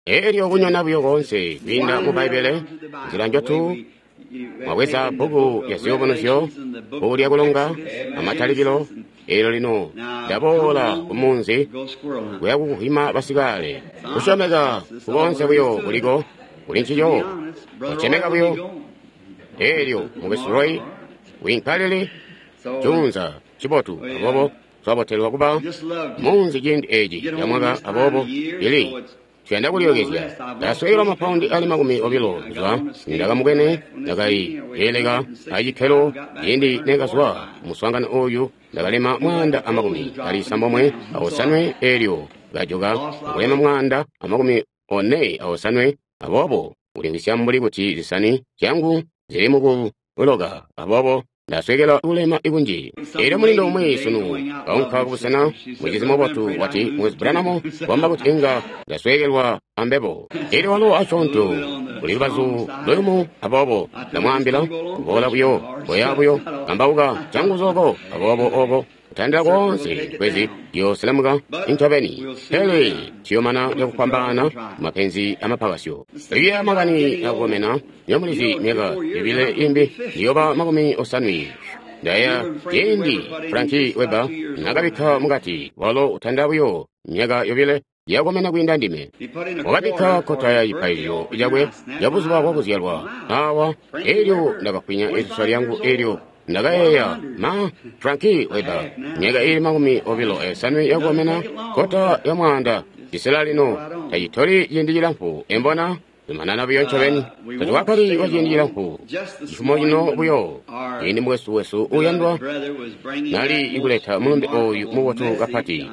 Elyo kunyona buyo koonse kwiinda mu Bbaibbele, nzila njotu mwabweza bbuku lya Ziyubunuzyo, bbuku lya Kulonga, amatalikilo. Elyo lino ndaboola ku munzi kuya kukuhwima basikaale. Kusyomeka kukoonse buyo kuliko kuli ncico, kucemeka buyo. Elyo Mukwesu Roy wiinkalili juunza cibotu, aboobo twabotelwa kuba munzi ciindi eci ca mwaka, aboobo ili tuyanda kulyookezya. Ndasweekelwa mapaundi ali 20 kuzwa ndakamubwene, ndakali eleka acikkelo ciindi nekazwa muswaangano oyu, ndakalema 198, elyo kajoka akulema 148, aboobo kulimvwisya mbuli kuti zisani zyangu zili mukuloka, aboobo ndasweekela kulema kunji. Elyo mulindo umwi sunu kaunka kubusena, mucizi mubotu wati, Mukwesu Branham wamba kuti inga ndasweekelwa ambebo. Elyo walo asyoonto kuli lubazu luyumu, aboobo ndamwaambila kuboola buyo, koya buyo kambauka canguzu oko, aboobo oko kutandila koonse kwezi yooselemuka incobeni, pele ciyomana cakufwambaana mapenzi amapakasyo. Liya makani akukomena, nyomulizi myaka yobile imbi ndiyoba 80. Ndaya ciindi Frankie Weber nakabikka mukati, walo utanda buyo myaka yobile yakomena kwiinda ndime. Wakabikka kota ya cipaililo cakwe ya buzuba bwakuzyalwa awa, elyo ndakafwinya isusa lyangu, elyo ndakayeeya, ma Frankie Weber myaka ili 25 yakukomena, kota ya 100 cisela lino tacitoli ciindi cilamfu, embona zumanana buyo ncobeni. Tatwakali kwa ciindi cilamfu cifumo cino buyo, ciindi mukwesu wesu uyandwa nali ikuleta mulumbe oyu mubotu kapati,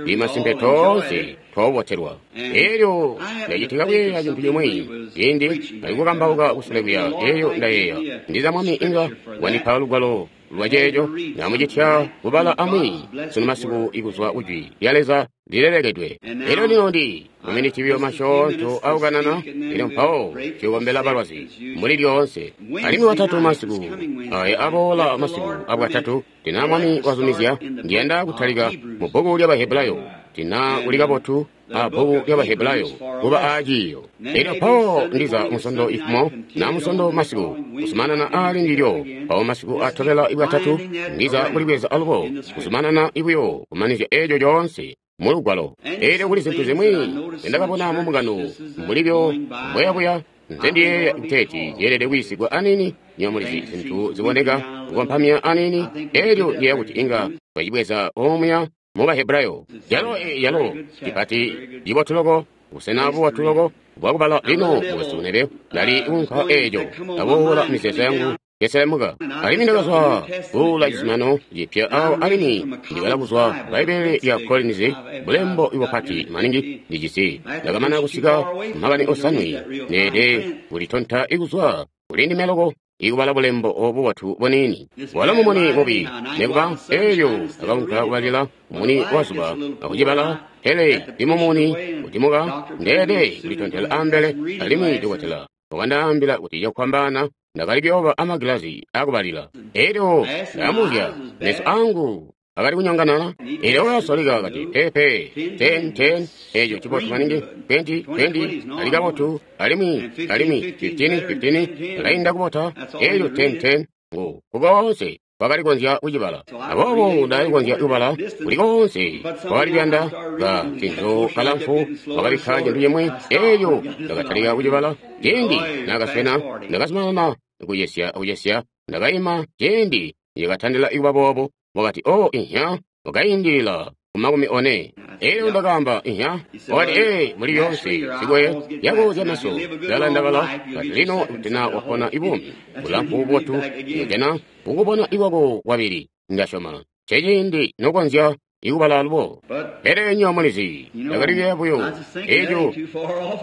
imasimpe toonse twaubotelwa. Elyo ndacitika kuyeeya cintu cimwi ciindi nali kukambauka kusule kuya, elyo ndayeeya ndiza Mwami inga wandipa lugwalo lwa ceeco, namucitya kubala amwi sunu masiku ikuzwa kujwi lya Leza lilelekedwe. Elyo lino ndi maminiti buyo masyoonto akukanana, elyo mpawo tuyokombela balwazi mbuli lyoonse. Alimwi watatu masiku aya aboola masiku abwatatu, tina Mwami wazumizya, ndiyanda kutalika mu bbuku lya Bahebrayo, tina kuli kabotu a bbuku lya Bahebrayo kuba aaciiyo. Elyo mpawo ndiza musondo ifumo na musondo masiku kuzumanana ali ndilyo, mpawo masiku atobela ibwatatu ndiza kulibweza alubo kuzumanana ibuyo kumanizya eco coonse mulugwalo. Elyo kuli zintu zimwi zendakabona mu mbungano mbulibyo mbweyabuya, nze ndiyeeya kuteeti zyeelede kuyisigwa anini, nyomulizi zintu ziboneka kukompamya anini. Elyo ndiyeeya kuti inga twacibweza omuya mu Bahebrayo, yalo yalo cipati cibotu loko, busena bubotu loko bwakubala. Lino mukwesu Neville ndali kunka eco, ndaboola mizeezo yangu yeselemuka, alimwi ndakazwa kuula cizuminano cipya awo, alimwi ndibala kuzwa Bbaibbele lya Collins, bulembo bupati maningi ndijisi. Ndakamana kusika makani 7, neede kulitonta ikuzwa kuli ndime loko ikubala bulembo obu bubotu buniini. Walo mumuni mubi nekuba, elyo ndakaunka kubalila mumuni wa zuba akucibala, pele ndi mumuni utimuka, ndeede kulitontela ambele. Alimwi dokotela wakandaambila kuti cakufwambaana ndakali kuyooba amagilazi akubalila. Elyo ndamuzya, meso angu akali kunyonganana. Elyo wakasoleka kati, pepe 10 10, eco cibotu maningi, 20 20 ali kabotu, alimwi 15 15 alainda kubota. Elyo 10 10 ngu kukoonse kwakali konzya kucibala. Aboobo ndakali konzya kubala kuli koonse kwakali kuyanda ka cintu kalamfu, wakabikka cintu cimwi. Elyo ndakatalika kucibala. Ciindi nakaswena, ndakazumanana kucesya kucesya, ndakaima ciindi yakatandila ikuba boobo. Wakati, oh, inya, wakaindilila ku 40. Elyo ndakaamba, inya. Wakati, ee, muli lyoonse sikwe yako zya meso zala ndabala, kati lino kuti wapona ibuumi bulamfu bubotu, nojana kukubona ikwako kwabili, ndasyoma ceciindi nokonzya ikubala alubo. Pele nyo mulizi, ndakali kuyeeya buyo eco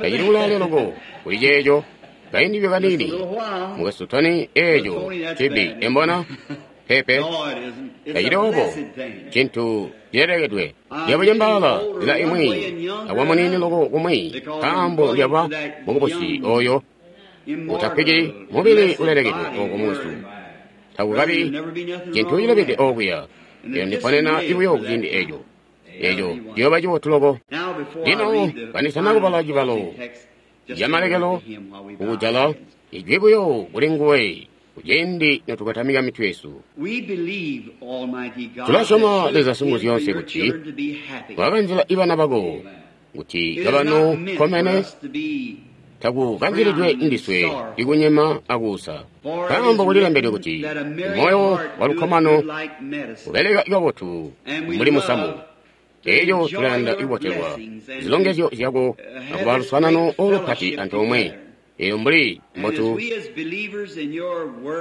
tacili kulaale loko kuli ceeco, kaindi kaniini mukwesu Tony, eco cibi embona pepe tacili obo, cintu cilelekedwe. Lyabucembaala nzila imwi akwa muniini loko kumwi, nkaambo lyaba mukubusi oyo utafwiki mubili ulelekedwe oko mukwesu, takukabi cintu cilebede okuya. Elyo ndiponena ibuyo kuciindi eco. Eco ciyooba cibotu loko. Lino kandisana kubala cibalo camalekelo kukujala, ijwi buyo kuli nguwe kuciindi notukatamika mitwe yesu. Tulasyoma Leza Singuzyoonse kuti wakanzila ibana bako kuti kabano kkomene, takukanzilidwe ndiswe ikunyema akuusa. Nkaambo kulilembedwe kuti moyo walukkomano ubeleka kabotu mbuli musamu. Elyo tulayanda kubotelwa zilongezyo zyako akuba luswaanano olupati antoomwe. Elyo mbuli mbotu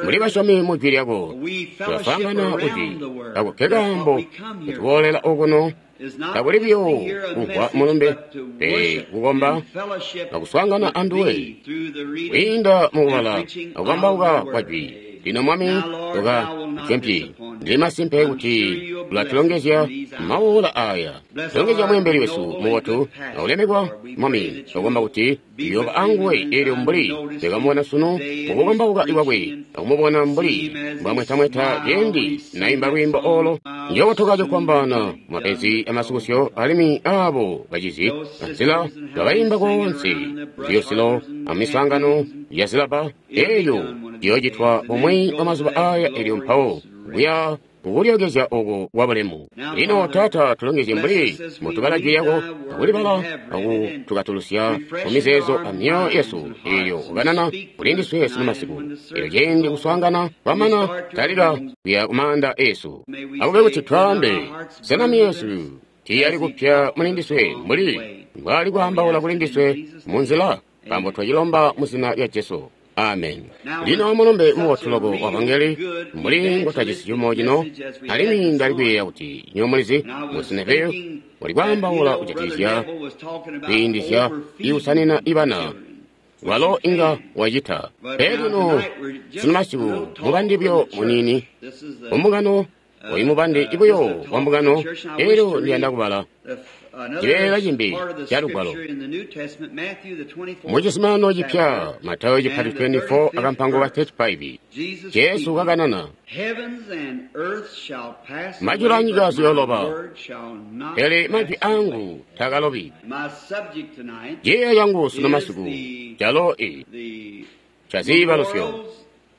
mbuli basyomi mu jwi lyako, tulaswaangana kujwi ako ke kaambo ketuboolela okuno. Takuli buyo kumvwa mulumbe, pele kukomba akuswaangana anduwe kwiinda mukubala akukambauka kwa jwi. Lino Mwami, tuka mpyi ndili masimpe kuti ulatulongezya mawoola aya. Tulongezya mweembeli wesu mubotu aulemekwa Mwami, twakomba kuti uyooba anguwe. Elyo mbuli twekamubona sunu mukukambauka kwakwe, akumubona mbuli mbwamwetamweta ciindi naimba lwiimbo olo, njootoka cokufwambaana mapenzi amasukusyo, alimwi aabo bacizi anzila bakaimba koonse ziyosilo amiswaangano ya zilaba. Elyo ciyoocitwa bumwi bwa mazuba aya, elyo mpawo kuya kukulyokezya oko kwa bulemu. Lino Taata, tulongezye mbuli mutubala jwi lyako akulibala akutukatulusya mumizeezo amyoyo yesu. Elyo kukanana kuli ndiswe sunu masiku. Elyo ciindi kuswaangana kwamana, talika kuya kumaanda esu. Akube kuti twaambe, sena myoyo yesu tiiyali kupya muli ndiswe mbuli mbwali kwaambaula kuli ndiswe munzila? Nkaambo twacilomba mu zina lya Jesu. Amen. Lino mulumbe mubotu loko wa vangeli mbuli ngotajisi cumo cino, alimwi ndali kuyeeya kuti nywebo mulizi musineveyo wali kwaambaula kujatikizya kwiindizya ikusanina ibana, walo inga wacita. Pele lino sunu masiku mubandi buyo muniini mumbungano, oyu mubandi buyo wa mbungano. Elyo ndiyanda kubala cibeela cimbi ca lugwalo mu Cizuminano Cipya, Matayo chipati 24 akampango ka 35. Jesu kakanana, majulu anyika ziyooloba, pele majwi angu takalobi. Ciiyo cangu sunu masiku calo i ca ziibalusyo,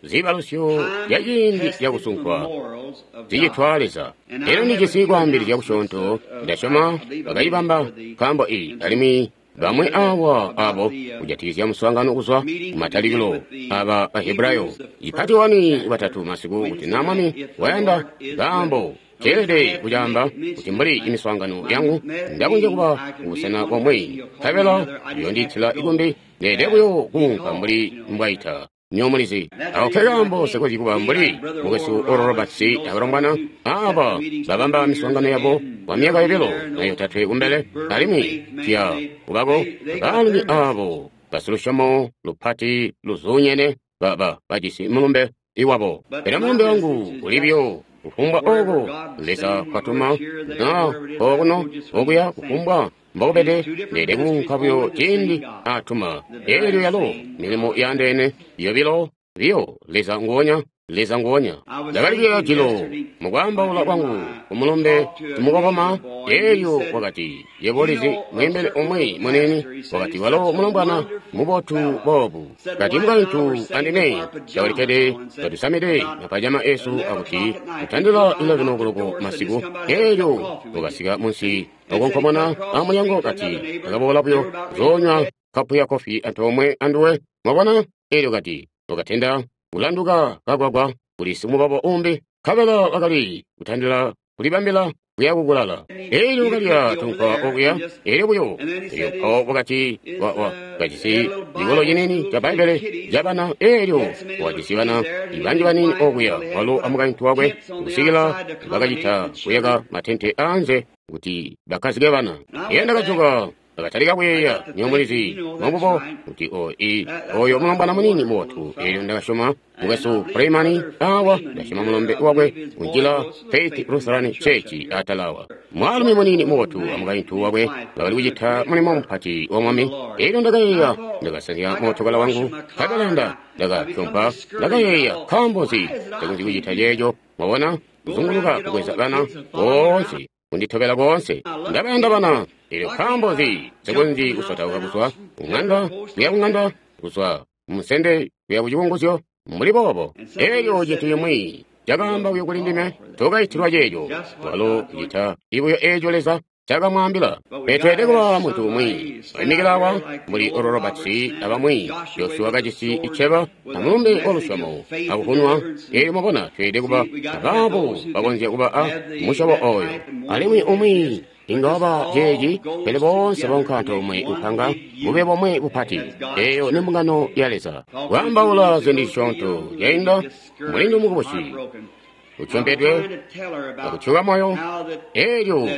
ziibalusyo zya ciindi cakusunkwa zicitwa Leza. Elyo ndijisi kwaambilizya kusyoonto, ndasyoma bakayibamba nkaambo iyi, alimwi bamwi awa abo kujatikizya muswaangano kuzwa kumatalikilo aba Bahebrayo ipati 1 batatu masiku, kuti na Mwami wayanda. Nkaambo ceelede kucaamba kuti mbuli imiswaangano yangu ndakonzya kuba kubusena bomwe, nkabela uyondiitila ikumbi, ndeelede buyo kuunka mbuli mbwaita. Nywebo mulizi ako ke kaambo sikonzyi kuba mbuli mukwesu Oral Roberts abalongwana aba babamba miswaangano yabo kwa myaka 2 na 3 kumbele, alimwi tuya kubako baalumi abo basilusyomo lupati luzuunyene baba bajisi mulumbe iwabo. Pele mulumbe wangu uli buyo kufumbwa oko Leza kwatuma, na okuno okuya, kufumbwa mbokubede, ndeelede kuunka buyo ciindi atuma. Elyo yalo milimo yaandeene yobilo biyo, Leza nguonya, Leza nguonya. Ndakali kuyeeya jilo mukwaambaula kwangu kumulumbe simukokoma, elyo wakati, yebo ulizi, mweembeli umwi muniini, wakati, walo mulombwana mubotu boobu. Kati mukaintu andime twakalikkede katusamide mapajama esu akuti kutandila 11 o'clock masiku, elyo wakasika munsi okonkomona amulyango, kati akaboola buyo kuzoonywa kapu ya kofi antoomwe anduwe. Mwabona? Elyo kati wakatenda kulanduka kagwagwa kuli simubabo umbi, nkabela wakali kutandila kulibambila kuya kukulala. Elyo kalya tunkwa okuya, elyo buyo, elyo mpawo wakati kajisi cikolo ciniini ca Bbaibbele cabana, elyo wakajisi bana banji baniini okuya, walo amukaintu wakwe, kusikila bakacita kuyaka matente aanze kuti bakkazike bana. Elyo ndakajoka, ndakatalika kuyeeya, nywebo mulizi, mwabubo, kuti oyo mulombwana muniini mubotu. Elyo ndakasyoma mukwesu Freeman awa, ndasyoma mulombe wakwe kunjila Faith Lutheran Church atala awa. Mwaalumi muniini mubotu amukaintu wakwe bakali kucita mulimo mupati wa Mwami. Elyo ndakayeeya, ndakasanzya mootokala wangu, nkabela ndakatyompa, ndakayeeya, nkaambo nzi takonzyi kucita ceeco? Mwabona, kuzunguluka kubweza bana boonse. kunditobela koonse. Ndabayanda bana. Elyo nkaambo nzi nsekonzyi kusotauka kuzwa kung'anda kuya kung'anda, kuzwa munsende kuya ku cikunguzyo, mbuli boobo. Elyo cintu cimwi cakaamba buyo kuli ndime, tokaitilwa ceeco. Walo ucita buyo eeco Leza cakamwaambila. Pele tweelede kuba muntu umwi waimikila awa mbuli Oral Roberts abamwi, Joshua kajisi iceba a mulumbe wa lusyomo akukunwa. Elyo mwabona, tweelede kuba abaabo bakonzya kuba a musyobo oyo. Alimwi umwi inga waba ceeci, pele boonse baunka antoomwe kupanga bube bomwe bupati. Eyo ni mbungano ya Leza. Kwaambaula ziindi zisyoonto zyainda, mulindu mukubusi utyompedwe akutyuka moyo. Elyo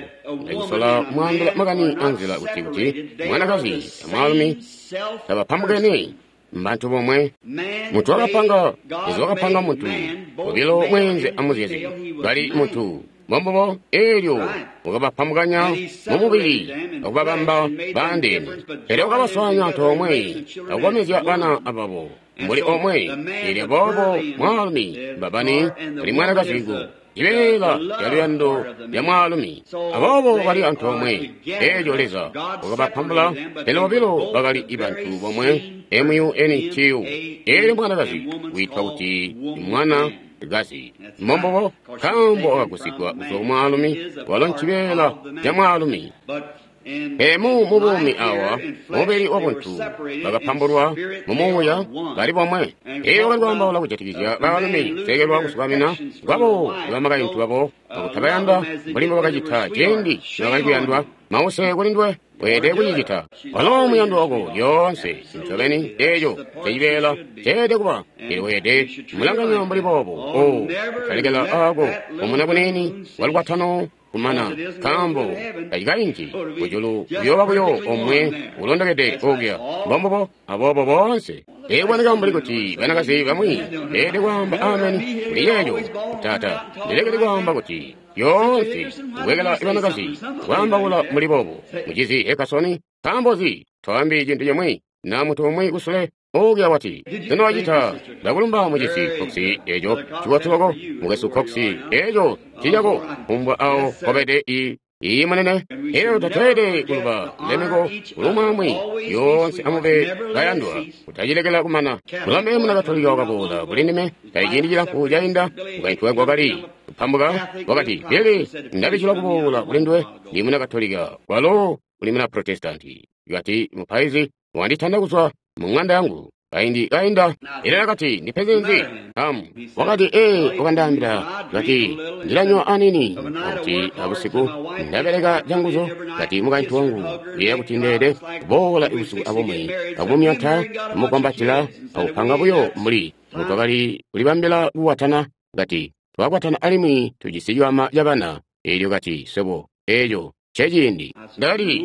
ndacisola kumwaambila makani anzila kuti mwanakazi amwaalumi tabapambukene, mbantu bomwe. Muntu wakapanga, Leza wakapanga muntu bobilo, mweenze amuzyezi, bali muntu mbombubo. Elyo wakabapambukanya mumubili akubabamba baandeene, pele wakabaswaanya antoomwe akukomezya bana ababo mbuli omwe. Elyo boobo mwaalumi mbabani kuli mwanakazi ku cibeela ca luyando lya mwaalumi, aboobo bali antoomwe. Elyo Leza wakabapambula, pele bobilo bakali bantu bomwe, muntu. Elyo mwanakazi wiitwa kuti mwana gazi, mbombubo, nkaambo wakagusigwa kuzwa ku mwaalumi, walo ncibeela ca mwaalumi. Pele mu buumi awa, mubili wabuntu, bakapambulwa mumuuya bali bomwe. Elyo bakali kwaambaula kujatikizya baalumi kusekelwa kusukamina kwabo bamakaintu babo akutabayanda mbuli mbobakacita ciindi nibakali kuyandwa. Mause kuli nduwe, weelede kucicita. Walo muyandwa wako lyoonse, ncobeni eeco ncecibeela ceelede kuba. Elyo weelede mulanganya mbuli boobo. O, kutalekela aako kumuna kuniini kwa lukwatano kumana, nkaambo tacikainki kujulu, kuyooba buyo omwe ulondokede okuya. Mbombubo, aboobo boonse. Eeboneka mbuli kuti banakazi bamwi beelede kwaamba ameni kuli ceeco. Taata, ndilekele kwaamba kuti lyoonse kulekela banakazi kwaambaula mbuli boobo. Mucizi Ekasoni, nkaambo nzi twaambi cintu cimwi na muntu umwi kusule okuya wati, sena wacita? Ndakulumba mucizi Cox, eeco cibotu loko. Mukwesu Cox, eeco ncicako. Kumbwa awo kobede iyi munene. Elyo tatweelede kuluba lulemeko kulumwaamwi. Lyoonse amube bayandwa, kutacilekela kumana. Mulombe muna Katolika wakaboola kuli ndime tali ciindi cilamfu cainda. Mukaintu wangu wakali kupambuka, wakati, Billy, ndabicilwa kuboola kuli nduwe. Ndi muna Katolika, walo uli muna Protestanti. Kati, mupaizi wanditanda kuzwa mu ng'anda yangu kaindi kainda. Elyo nakati, ndipenzi nzi? Wakati, ee, wakandaambila, kati, ndilanywa anini, akuti abusiku ndabeleka canguzu. Kati, mukaintu wangu uyeeya kuti ndeede kuboola ibusiku abumwi akumumyonta, amukwambatila, akupanga buyo mbuli mbutwakali kulibambila kukwatana. Kati, twakwatana alimwi tujisi ciwama ca bana. Elyo kati, swebo, eeco nceciindi. Ndakati,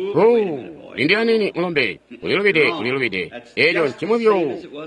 lindi anini mulombe, ulilubide, ulilubide. Eeco ncimwi buyo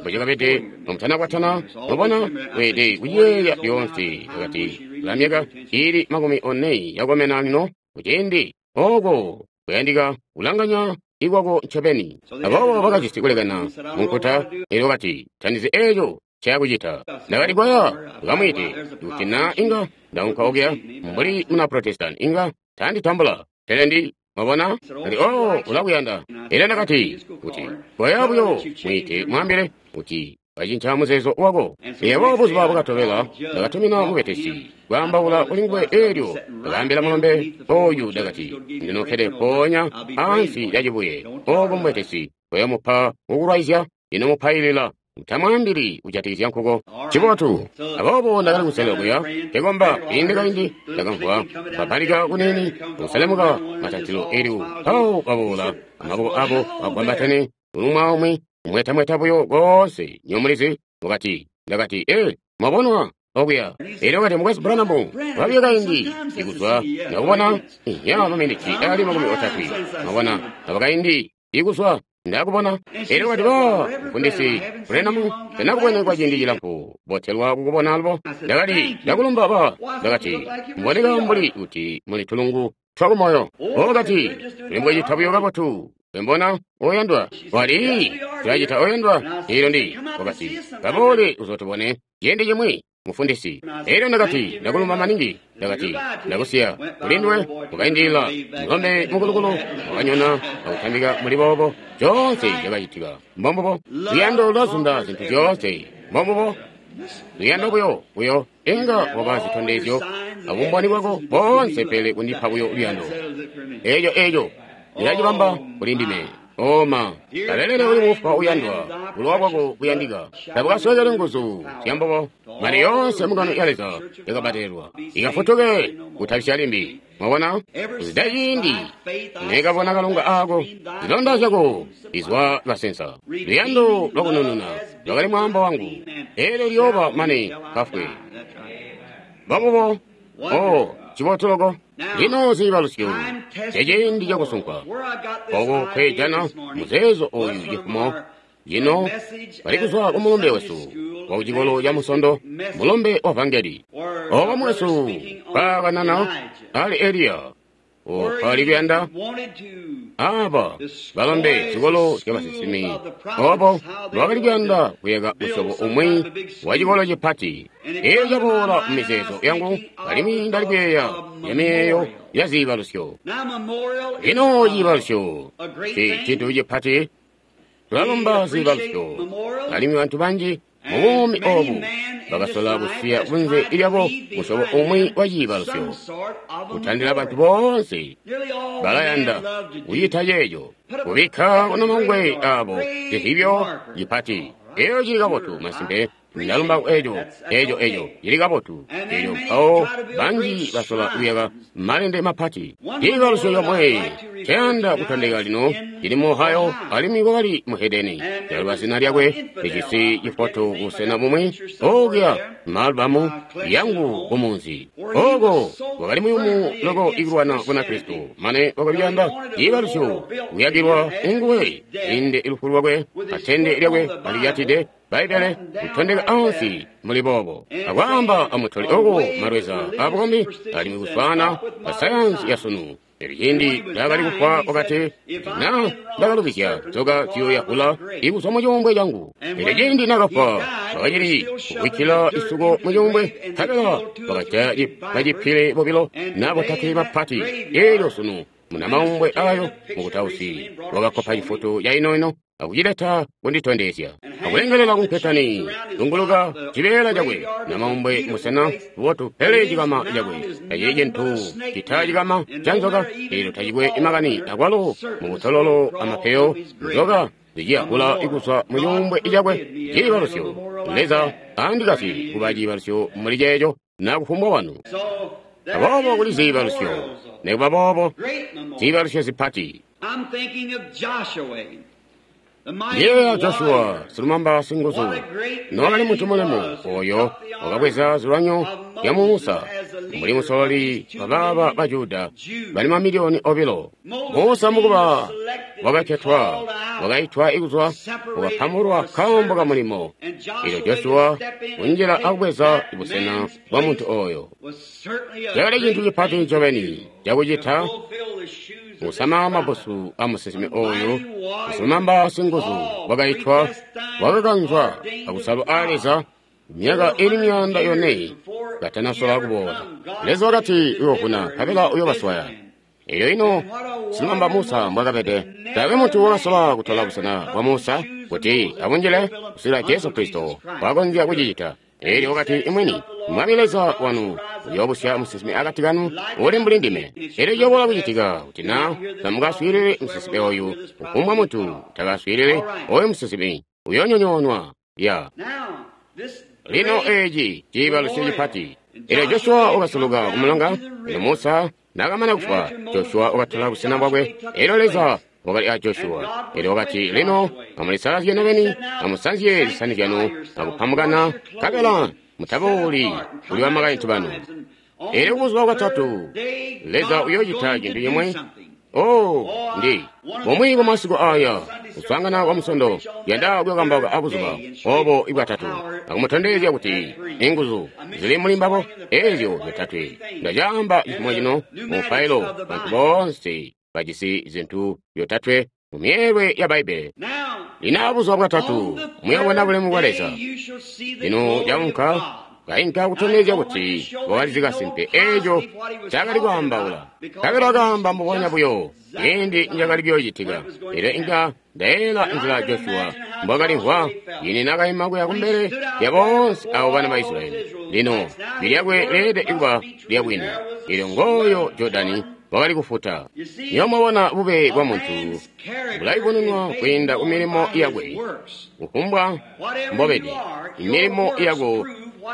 mbocakabede nomutanakwatana. Mwabona, weelede kuciyeeya lyoonse. Kati, ula myaka iili 40 yakukomena lino, kuciindi oko kuyandika kulanganya ikwako ncobeni. Aboobo bakajisi kulekana munkuta. Elyo kati, tandizi eeco ncayakucita. Ndakati, koya ukamwiite. Kuti na inga ndaunka okuya mbuli muna Protestant, inga tanditambula. Pele ndi mwabona, kati, oh, ulakuyanda. Elyo ndakati, kuti koya buyo mwiite, mwaambile kuti wacinca muzeezo wako. Elyo buzuba bwakatobela ndakatumina mubetesi kwaambaula kuli nguwe. Elyo ndakaambila mulombe oyu, ndakati, ndinokkede mpoonya ansi lya cibuye oko mubetesi koyamupa kukulwaizya, ino mupailila. Utamwaambili kujatikizya nkuko. Cibotu. Aboobo ndakali kuselela kuya nkekomba. Kaindi kaindi ndakamvwa kupapalika kuniini kuselemuka matantilo. Elyo mpawo baboola amaboko abo agwambatene umwi aumwi, kumwetamweta buyo koonse, nywebo mulizi. Wakati, ndakati, ee, mwabonwa okuya. Elyo wakati, Mukwesu Branham, wabyo kaindi ikuzwa ndakubona ya maminiti ali 30. Mwabona, aba kaindi ikuzwa ndakubona. Elyo wakati, ba mufundisi Branham, tandakubwene kwa ciindi cilamfu, botelwa kukubona alubo. Ndakati, ndakulumba ba. Ndakati, mboneka mbuli kuti muli tulungu twakumoyo. Wakati, tulimbwecita buyo kabotu. Mbona oyandwa, wali tulacita oyandwa. Elyo ndi wakati, kaboole uzotubone ciindi cimwi. mufundisi. Elyo ndakati, Ndakulumba maningi. Ndakati, Ndakusiya kulinduwe. Ukaindilila mulombe mukulukulu wakanyona akutambika muli boobo. Zyoonse zyakacitika. Mbombubo. Luyando lwazunda zintu zyoonse. Mbombubo. Luyando buyo buyo inga waba zitondezyo abumboni bwako boonse, pele kundipa buyo luyando. Eeco eeco ndilacibamba kuli ndime. Oma kalelele uli mufwa uyandwa, bulowa bwako buyandika tabukaswekele nguzu zyambubo. Mali yoonse mungano ya Leza yakabatelwa ikafutuke kutabisya limbi. Mwabona, kuzida ciindi nekabona kalunga ako, zilonda zyako izwa kasensa. Luyando lwakunununa lwakali mwaambo wangu, eelyo liyooba mane kafwe. Mbobubo. Oh, cibotu loko. Lino ziibalusyo ceciindi cakusunkwa oko kwejana muzeezo oyu cifumo lino bali kuzwa ku mulumbe wesu wa kucikolo ca Musondo, mulumbe wa vangeli. Obo mwesu kwakanana ali Eliya opali kuyanda aba balombe zikolo zya basinsimi, obo lwakali kuyanda kuyaka musyobo umwi wa cikolo cipati. Eyo caboola mu mizeezo yangu, alimwi ndali kuyeeya ya miyeeyo ya ziibalusyo. Lino ciibalusyo cintu cipati. Tulalomba ziibalusyo, alimwi bantu banji mu buumi obu bakasola kusiya kunze lyabo musyobo umwi wa ciibalusyo. Kutandila bantu boonse balayanda kucita ceeco, kubikka kunamangwe abo cihibyo cipati. Eyo cili kabotu, masimpe. Ndalumba eco eco eco cili kabotu. Elyo mpawo banji basola kuyaka malende mapati. Ciibalusyo yomwe cayanda kutondeka lino cili mu Ohio, alimwi kwakali muhedeni. Ndaluba zina lyakwe, lijisi cifoto busena bumwi okuya maalbamu yangu kumunzi. Oko wakali muyumu loko ikulwana Bunakristo, mane wakali kuyanda ciibalusyo kuyakilwa nguwe inde lufu lwakwe, atende lyakwe alilyatide Bbaibbele kutondeka ansi muli boobo, akwaamba amutoli oko malweza abukombi alimwi kuswaana basayansi ya sunu. Elyo ciindi ndakali kufwa wakati, na ndakalubizya nzoka ziyoyahula ikuzwa mu cuumbwe cangu. Elyo ciindi nakafwa bakacili kubikkila isuko mu cuumbwe, nkabela bakajaya bacipile bobilo na botatwe bapati. Elyo sunu munamaumbwe ayo mukutausi wakakopa cifoto ca inoino akucileta kunditondezya, akulengelela kunketani zunguluka cibeela cakwe namaumbwe musena bubotu, pele cikama cakwe tacili cintu cita cikama ca nzoka. Elyo tacikwe makani akwalo mubutololo amapeyo nzoka ziciyahula ikuzwa mu cuumbwe cakwe. Ciibalusyo, Leza andikasyi kuba ciibalusyo muli ceeco na kufumbwa wanu. Aboobo kuli ziibalusyo, nekuba boobo ziibalusyo zipati. Ndiyeeya Joshua silumamba singuzu, nowakali muntu mulemu oyo wakabweza zilwanyo zya Musa mbuli musololi wa baaba ba Juda bali mamiliyoni obilo. Musa mukuba wakaketwa, wakaitwa ikuzwa, wakapambulwa kaambo ka mulimo. Elyo Joshua kunjila akubweza busena bwa muntu oyo cakali cintu cipati ncobeni cakucita, kusama mabusu a musinsimi oyu silumamba singuzu wakaitwa, wakakanzwa akusalwa a Leza myaka ili 400 katanasola kuboola. Leza wakati uyoovuna nkabela uyobaswaya. Elyo ino silumamba Musa mbwakabede, taakwe muntu wakasola kutola busena bwa Musa kuti abunjile kusila Jesu Kristo wakonzya kucicita. Elyo wakati imwini, Mwami Leza wanu uyoobusya musinsimi akati kanu uli mbuli ndime. Elyo ciyoboola kucitika kuti na tamukaswiilile musinsimi oyu, kufumbwa muntu takaswiilile oyu musinsimi uyoonyonyoonwa. Ya lino eci ciibalusyo cipati. Elyo Joshua wakasuluka kumulonga. Elyo Musa nakamana kufwa, Joshua wakatola busena bwakwe. Elyo Leza wakali a Joshua. Elyo wakati, lino amulisalazye nobeni, amusanzye zisani zyanu akupambukana, nkabela mutabooli kuli bamakaintu banu. Elyo buzuba bwatatu Leza uyoocita cintu cimwe. Oh, ndi bumwi bwa masiku aya kuswaangana kwa Musondo yanda kuyokambauka abuzuba obo ibwatatu, akumutondezya kuti inguzu zili muli mbabo ezyo zyotatwe. Ndacaamba cifumo cino mu mupailo, bantu boonse bajisi zintu zyotatwe mu myeelwe ya Bbaibbele. Lino abuzuba bwatatu muyobona bulemu bwa Leza. Lino caunka Kainka kutondezya kuti wakalizi kasimpe eeco cakali kwaambaula. Kabela wakaamba mbubonya buyo ciindi nicakali kuyoocitika. Elyo inga ndayeeyela nzila Joshua mbwakalimvwa ciindi naakaima kuya kumbele lya boonse abo bana ba Israyeli. Lino jwi lyakwe leelede kuba lyabwini. Elyo ngooyo Jordani wakali kufuta. Niyo mwabona bube bwa muntu bulayubununwa kwiinda ku milimo yakwe. Kufumbwa mbobede, milimo yako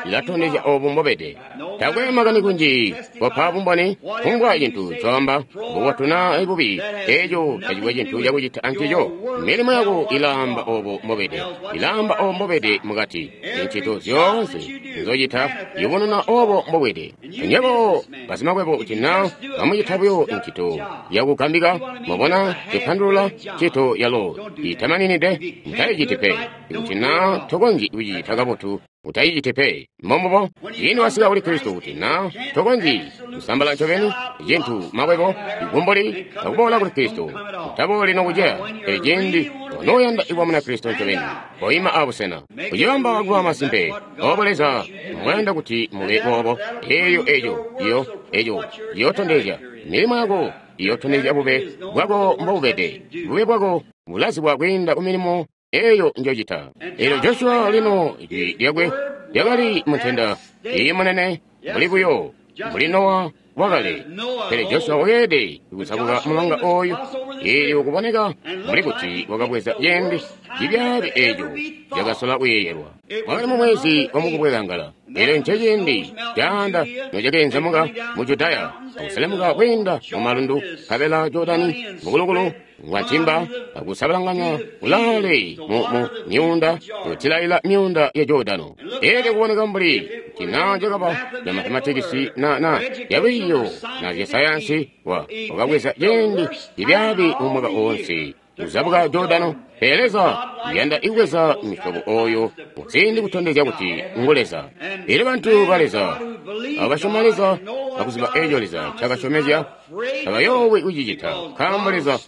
ilatondezya obo mbobede. Takwe makani kunji kopa bumboni, kufumbwa cintu coamba bubotu naa bubi, eeco tacikwe cintu cakucita ancico. Milimo yako ilaamba obo mbobede, ilaamba obo mbobede mukati. Incito zyoonse nzocita yubununa obo mbobede. Nywebo basimakwebo kuti naa bamucita buyo incito yakugambika, mwabona cipandulula ncito yalo itamaninide, mutayiciti pe. Kuti naa tokonzyi kucicita kabotu, utayiciti pe. Mbombubo ciindi wasika kuli Kristo kuti naa tokonzyi kusambala ncobeni cintu makwebo igumbuli akuboola kuli Kristo, utabooli nokuceya. Pele ciindi onooyanda kuba muna Kristo ncobeni, koima abusena kucibamba kuba masimpe obo Leza mbwayanda kuti mube boobo. Eeyo eco iyo eco iyootondezya milimo yako, iyootondezya bube bwako mbobubede. Bube bwako bulazibwa kwiinda ku milimo eyo njocita. Elyo Joshua lino ijwi lyakwe lyakali muntenda iyi munene mbuli buyo mbuli Nowa wakale. Pele Joshua wakeelede kuzabuka mulonga oyu, eelyo kuboneka mbuli kuti wakabweza ciindi cibyaabi eeco cakasola kuyeeyelwa. Wakali mu mwezi wa mukubwekangala, elyo nceciindi caanda nocakeenzemuka mu Judaya akuselemuka kwiinda mu malundu, nkabela Jordani mukulukulu ngwantimba akusabalanganya kulaale mu myuunda kutilaila myuunda ya Jordano. Elyo kuboneka mbuli kuti naa cakaba ca mathematikisi na yalwiiyo na zyasayansi wakabweza ciindi cibyaabi mu mwaka oonse kuzabuka Jordano. Pele Leza uyanda ikubweza misyobo oyo muziindi kutondezya kuti ngu Leza. Elyo bantu ba Leza abo basyoma Leza akuziba eco Leza ncakasyomezya, tabayoowi kucicita, nkaambo Leza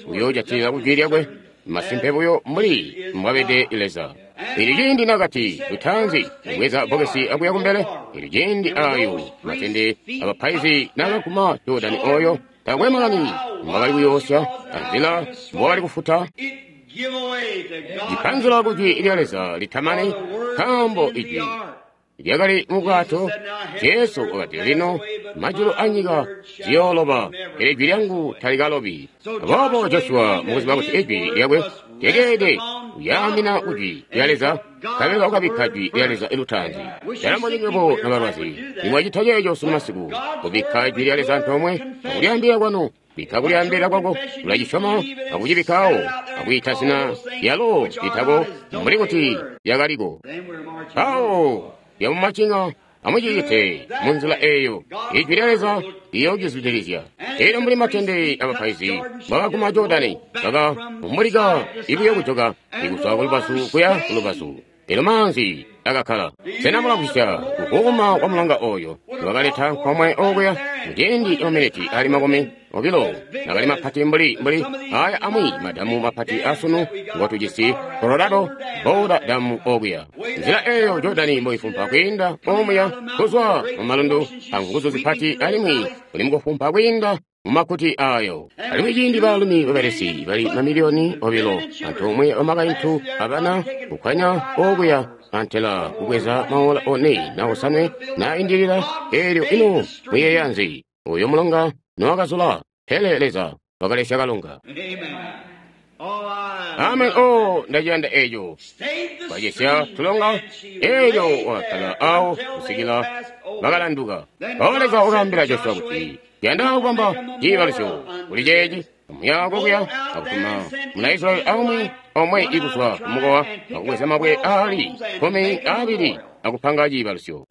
uyoojatilila ku jwi lyakwe masimpe buyo mbuli mbwabede Leza. Elyo ciindi nakati lutaanzi kubweza bbokesi akuya kumbele, elyo ciindi ayo matende abapaizi nakaguma Jordani oyo, takwe makani mbwakali kuyoosya anzila mbwakali kufuta, cipanzula ku jwi lya Leza litamani, nkaambo ijwi lyakali mu bwato. Jesu wakati, lino majulu anyika ziyooloba, pele ijwi lyangu talikalobi. Aboobo Joshua mukuziba kuti ijwi lyakwe lyakeelede kuyaamina ku jwi lya Leza, nkabela wakabikka jwi lya Leza lutaanzi. Ndalomba nywebo nobalwazi, nimwacita ceeco sunu masiku, kubikka jwi lya Leza antoomwe akulyaambilila kwanu. Bikka kulyaambilila kwako, ulacisyoma akucibikkawo, akwiita zina lyalo litako mbuli kuti lyakaliko. Mpawo lyamumacinga amucicite munzila eeyo, ijwi lya Leza liyoocizwidilizya. Elyo mbuli matende abapaizi mbwakaguma Jordani, bakavumbulika ibuyo kujoka ikuzwa kulubazu kuya kulubazu, elyo maanzi akakkala. Sena mulamvwisya kuvwuuma kwa mulonga oyo wakaleta nkomwe okuya muciindi camaminiti ali 20, nakali mapati mbuli aya amwi madamu mapati asunu ngotujisi Colorado Boulder Dam okuya. Nzila eyo Jordani mboifumpa kwiinda omuya kuzwa mu malundu anguzu zipati, alimwi uli mukufumpa kwiinda mumakuti ayo. Alimwi ciindi baalumi babelesi bali mamiliyoni 2 antoomwe bamakaintu abana kukwanya okuya antela kubweza maola 4 na 5 na indilila, elyo ino muyeeya nzi? Uyo mulonga nowakazula, pele Leza wakalesya kalonga. Amen. Oh, ndaciyanda eco. Wacesya tulonga, elyo wakakkala awo kusikila bakalanduka. Mpawo Leza wakaambila Joshua kuti, yanda kubamba ciibalusyo kuli ceeci, amuya kokuya akutuma muna Israyeli aumwi omwe ikuzwa kumukowa akubweza mabwe aali 12 akupanga ciibalusyo.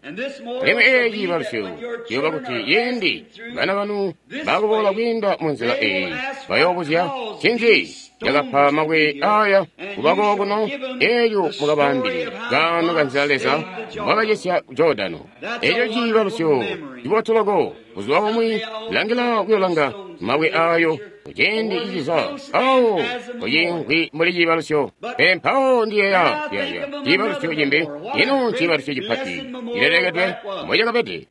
Alimwi eeci ciibalusyo ciyooba kuti ciindi bana banu bakuboola kwiinda munzila eeyi, bayoobuzya, ncinzi cakapa mabwe aya kuba kookuno, elyo mukabaambile kaano kanzila Leza mbwakacesya Jordano. Eco ciibalusyo cibotu loko. Buzuba bumwi langila kuyolanga mabwe ayo kuciindi ciciza awo kucinkwi mbuli ciibalusyo. Pele mpawo ndiyeeya ciibalusyo cimbi. Ino nciibalusyo cipati cilelekedwe mbocakabede.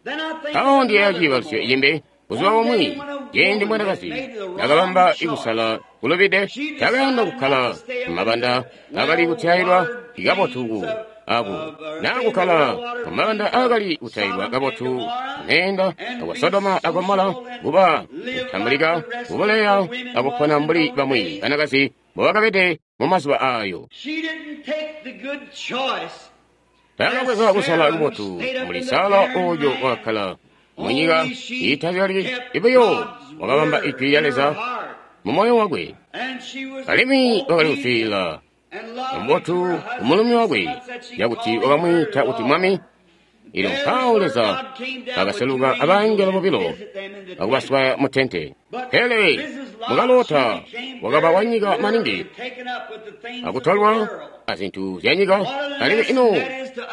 Mpawo ndiyeeya ciibalusyo cimbi. Buzuba bumwi ciindi mwanakazi nakabamba ikusala kulubide, takayanda kukkala mumabanda akali kutyailwa kabotu aku nakukkala mumabanda akali kutyailwa kabotu meenda akwa Sodoma a Gomora, kuba kutambulika kubuleya akupona mbuli bamwi banakazi mbobakabede mumazuba ayo. Takabweza kusala kubotu mbuli Sara oyo wakkala munyika iitazyali ibuyo, wakabamba ijwi lya Leza mu moyo wakwe, alimwi wakali kuswiilila mubotu kumulumi wakwe, cakuti wakamwiita kuti mwami. Elyo mpawo Leza akaseluka abangelo bobilo akubaswaya mu tente. Pele mukalota wakaba wanyika maningi akutolwa azintu zyanyika. Alimwi ino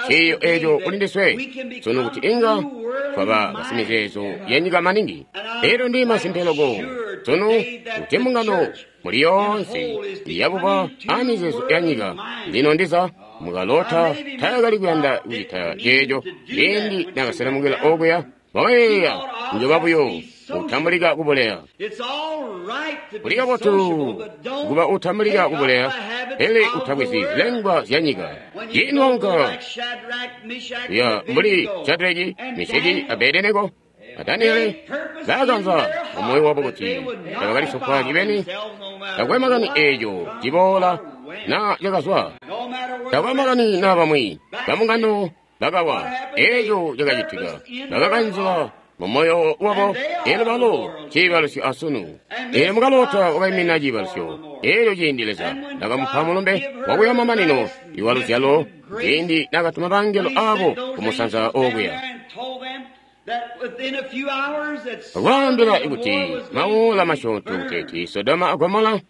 ciiyo eco kuli ndiswe sunu, kuti inga twaba basimizeezo yanyika maningi. Elyo ndi masimpe loko sunu kuti mbungano muli yoonse yabuba amizeezo yanyika. Lino ndiza mukalota taakali kuyanda kucita ceeco ciindi nakaselemukila okuya, wakayeeya njoba buyo utambulika kubuleya. Kuli kabotu kuba utambulika kubuleya, pele utabwezi zilengwa zyanyika. Ciindi waunka kuya mbuli Shadraki, Meshaki, Abedenego a Daniele, baakanza mumoyo wabo kuti tabakalisofwa cibeni. Takwe makani eeco ciboola na cakazwa, takwe makani na bamwi bamungano bakawa, eeco cakacitika bakakanzila mumoyo wabo. Elyo balo ciibalusyo asunu. Elyo mukalota wakaimina ciibalusyo. Elyo ciindi Leza nakamupa mulumbe wakuya mamanino iwa luzyalo, ciindi nakatuma bangelo abo kumusanza okuya akwaambila kuti mawoola masyoonto kuteeti Sodoma a Gomora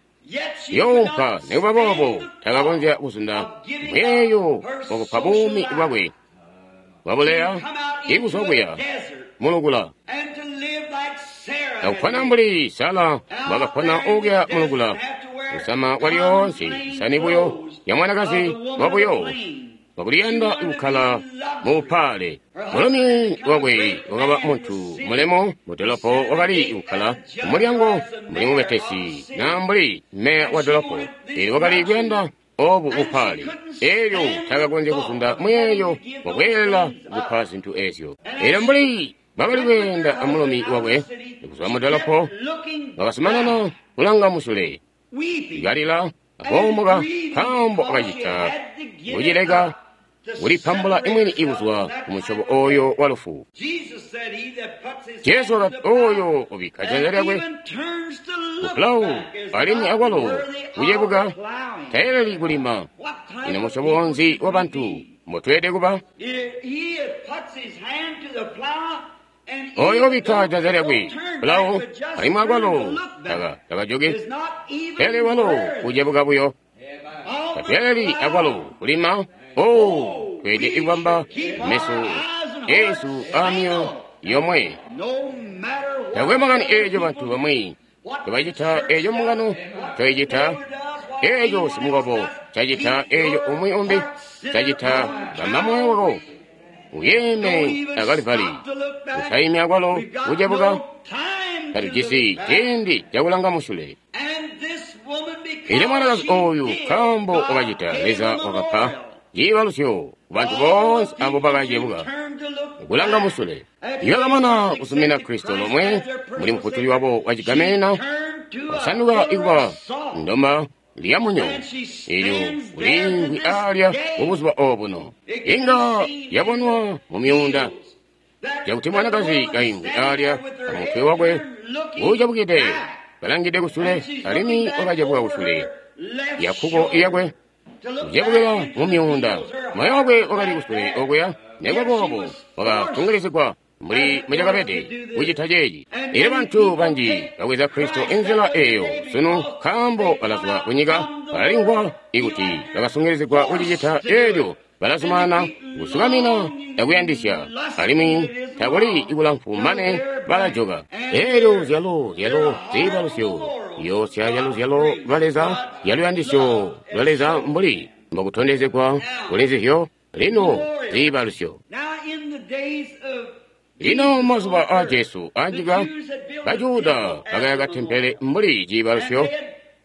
yoompa. Nikuba boobo takakonzya kuzunda mweeyo wakupa buumi bwakwe bwabuleya ikuzwa kuya mulukula, akupona mbuli Sara mbwakapona okuya mulukula, kusama kwalyoonse isani buyo ya mwanakazi wabuyo wakuliyanda kukkala muupale. Mulumi wakwe wakaba muntu mulemo mudolopo, wakali kukkala kumulyango mbuli mubetesi na mbuli meya wa dolopo. Elyo wakali kuyanda obu bupaale. Elyo takakonzya kuzunda muyeeyo wakweelela kupa zintu ezyo. Elyo mbuli bakali kweenda amulumi wakwe kuzwa mudolopo, wakazumanana kulanga musule, kalila akoomoka, nkaambo akacita kucileka kulipambula imwini ikuzwa kumusyobo oyo wa lufu. Jesu wakati oyo ubikka janza lyakwe kupulawu alimwi akwalo kucebuka tayeleli kulima. Ino musyobo nzi wa bantu mbotweelede kuba? Oyo ubikka janza lyakwe pulawu alimwi akwalo takajoki, pele walo kucebuka buyo tatweeleli akwalo kulima. Oh, tweelede ikubamba meso eesu amyoyo yomwe. Takwe makani eeco bantu bamwi tebacita, eeco mbungano coicita, eeco simukobo cacita, eeco umwi umbi cacita, bamba moyo wako uyeeme akalivali, utaimi akwalo kucebuka. Tatujisi ciindi cakulanga musule. Elyo mwanakazi oyu nkaambo wakacita, Leza wakapa ciibalusyo kubantu boonse abo bakacebuka kulanga musule. Ibakamana kuzumina Kristo lomwe muli mufutuli wabo wacigamena, wasanduka ikuba ndoma lyamunyo elyo uliimvwi alya mubuzuba obuno. Inga yabonwa mu myuunda cakuti mwanakazi kaimvwi alya amutwe wakwe uucebukide kalangide kusule, alimwi wakacebuka kusule yakkuko iyakwe kucebukila mu myuunda. Moyo wakwe wakali kusule okuya, nekubaboobo wakatungilizigwa mbuli mucakabede kucita ceeci. Elyo bantu banji babweza Kristo inzila eyo sunu nkaambo balazwa kunyika, balalimvwa ikuti bakasungilizigwa kucicita elyo balazumana kusukamina akuyandisya, alimwi takuli kulamfu mane balajoka. Elyo zyalo ziibalusyo yoosya yaluzyalo lwa Leza, yaluyandisyo lwa Leza mbuli mbokutondezegwa kuli nzizyo lino ziibalusyo. Lino mazuba aa Jesu anyika, Bajuda bakayaka tempele mbuli ciibalusyo,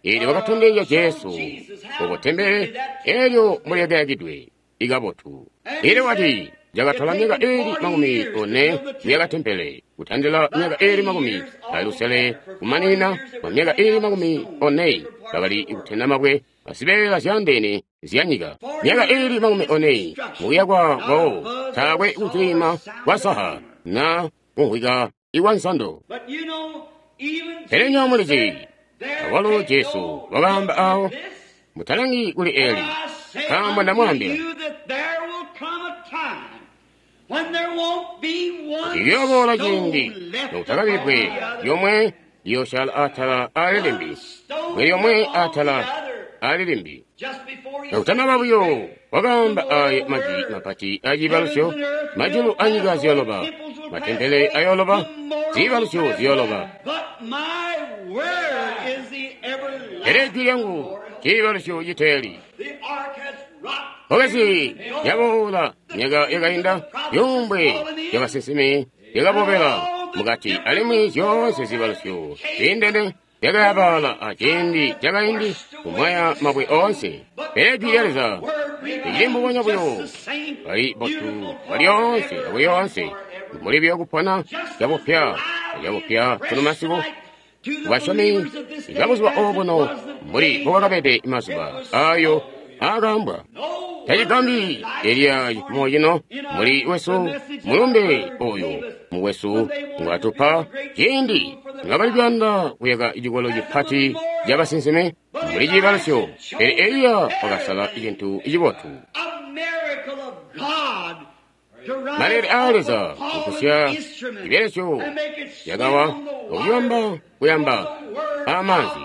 eelyo bakatondezya Jesu obo tempele elyo mbuli ikabotu. Elyo wati cakatola myaka ili 40 kuyaka tempele, kutandila myaka ili 60 kumanina kwa myaka ili 40 bakali kutenda mabwe azibeela zyandeene zyanyika. Myaka ili 40 mukuyakwa kwawo taakwe kucilima kwa saha na kumvwika ikwa nsando. Pele nywebo mulizi, awalo Jesu wakaamba awo, mutalangi kuli Eli, nkaambo ndamwaambila, liyooboola ciindi nokutakabikwe lyomwe liyoosyaala atala aali limbi, bwe lyomwe atala aali limbi. Kakutanaba buyo wakaamba aaya majwi mapati aciibalusyo, majulu anyika ziyooloba, matempele ayooloba, ziibalusyo ziyooloba. Pele jwi lyangu ciibalusyo citeeli. Bbokesi lyaboola myaka yakainda, zyuumbwe zyabasinsimi zyakabobela mukati, alimwi zyoonse ziibalusyo ziindene zyakayabaala aciindi cakaindi kumwaya mabwe oonse. Pele jwi lya Leza licili mbubonya buyo, bali botu balyoonse akulyoonse, mbuli buyo kupona cabupya acabupya sunu masiku. Basyomi babuzuba obuno mbuli mbobwakabede mazuba ayo aakaambwa. Tacigambyi Eliya cifumo cino muli wesu mulumbe oyu mukwesu ngwatupa ciindi nibakali kuyanda kuyaka cikolo cipati cabasinsimi mbuli ciibalusyo, pele Eliya wakasala cintu cibotu. Malele aa Leza kukusya cibelesyo cakawa okuyamba kuyamba amaanzi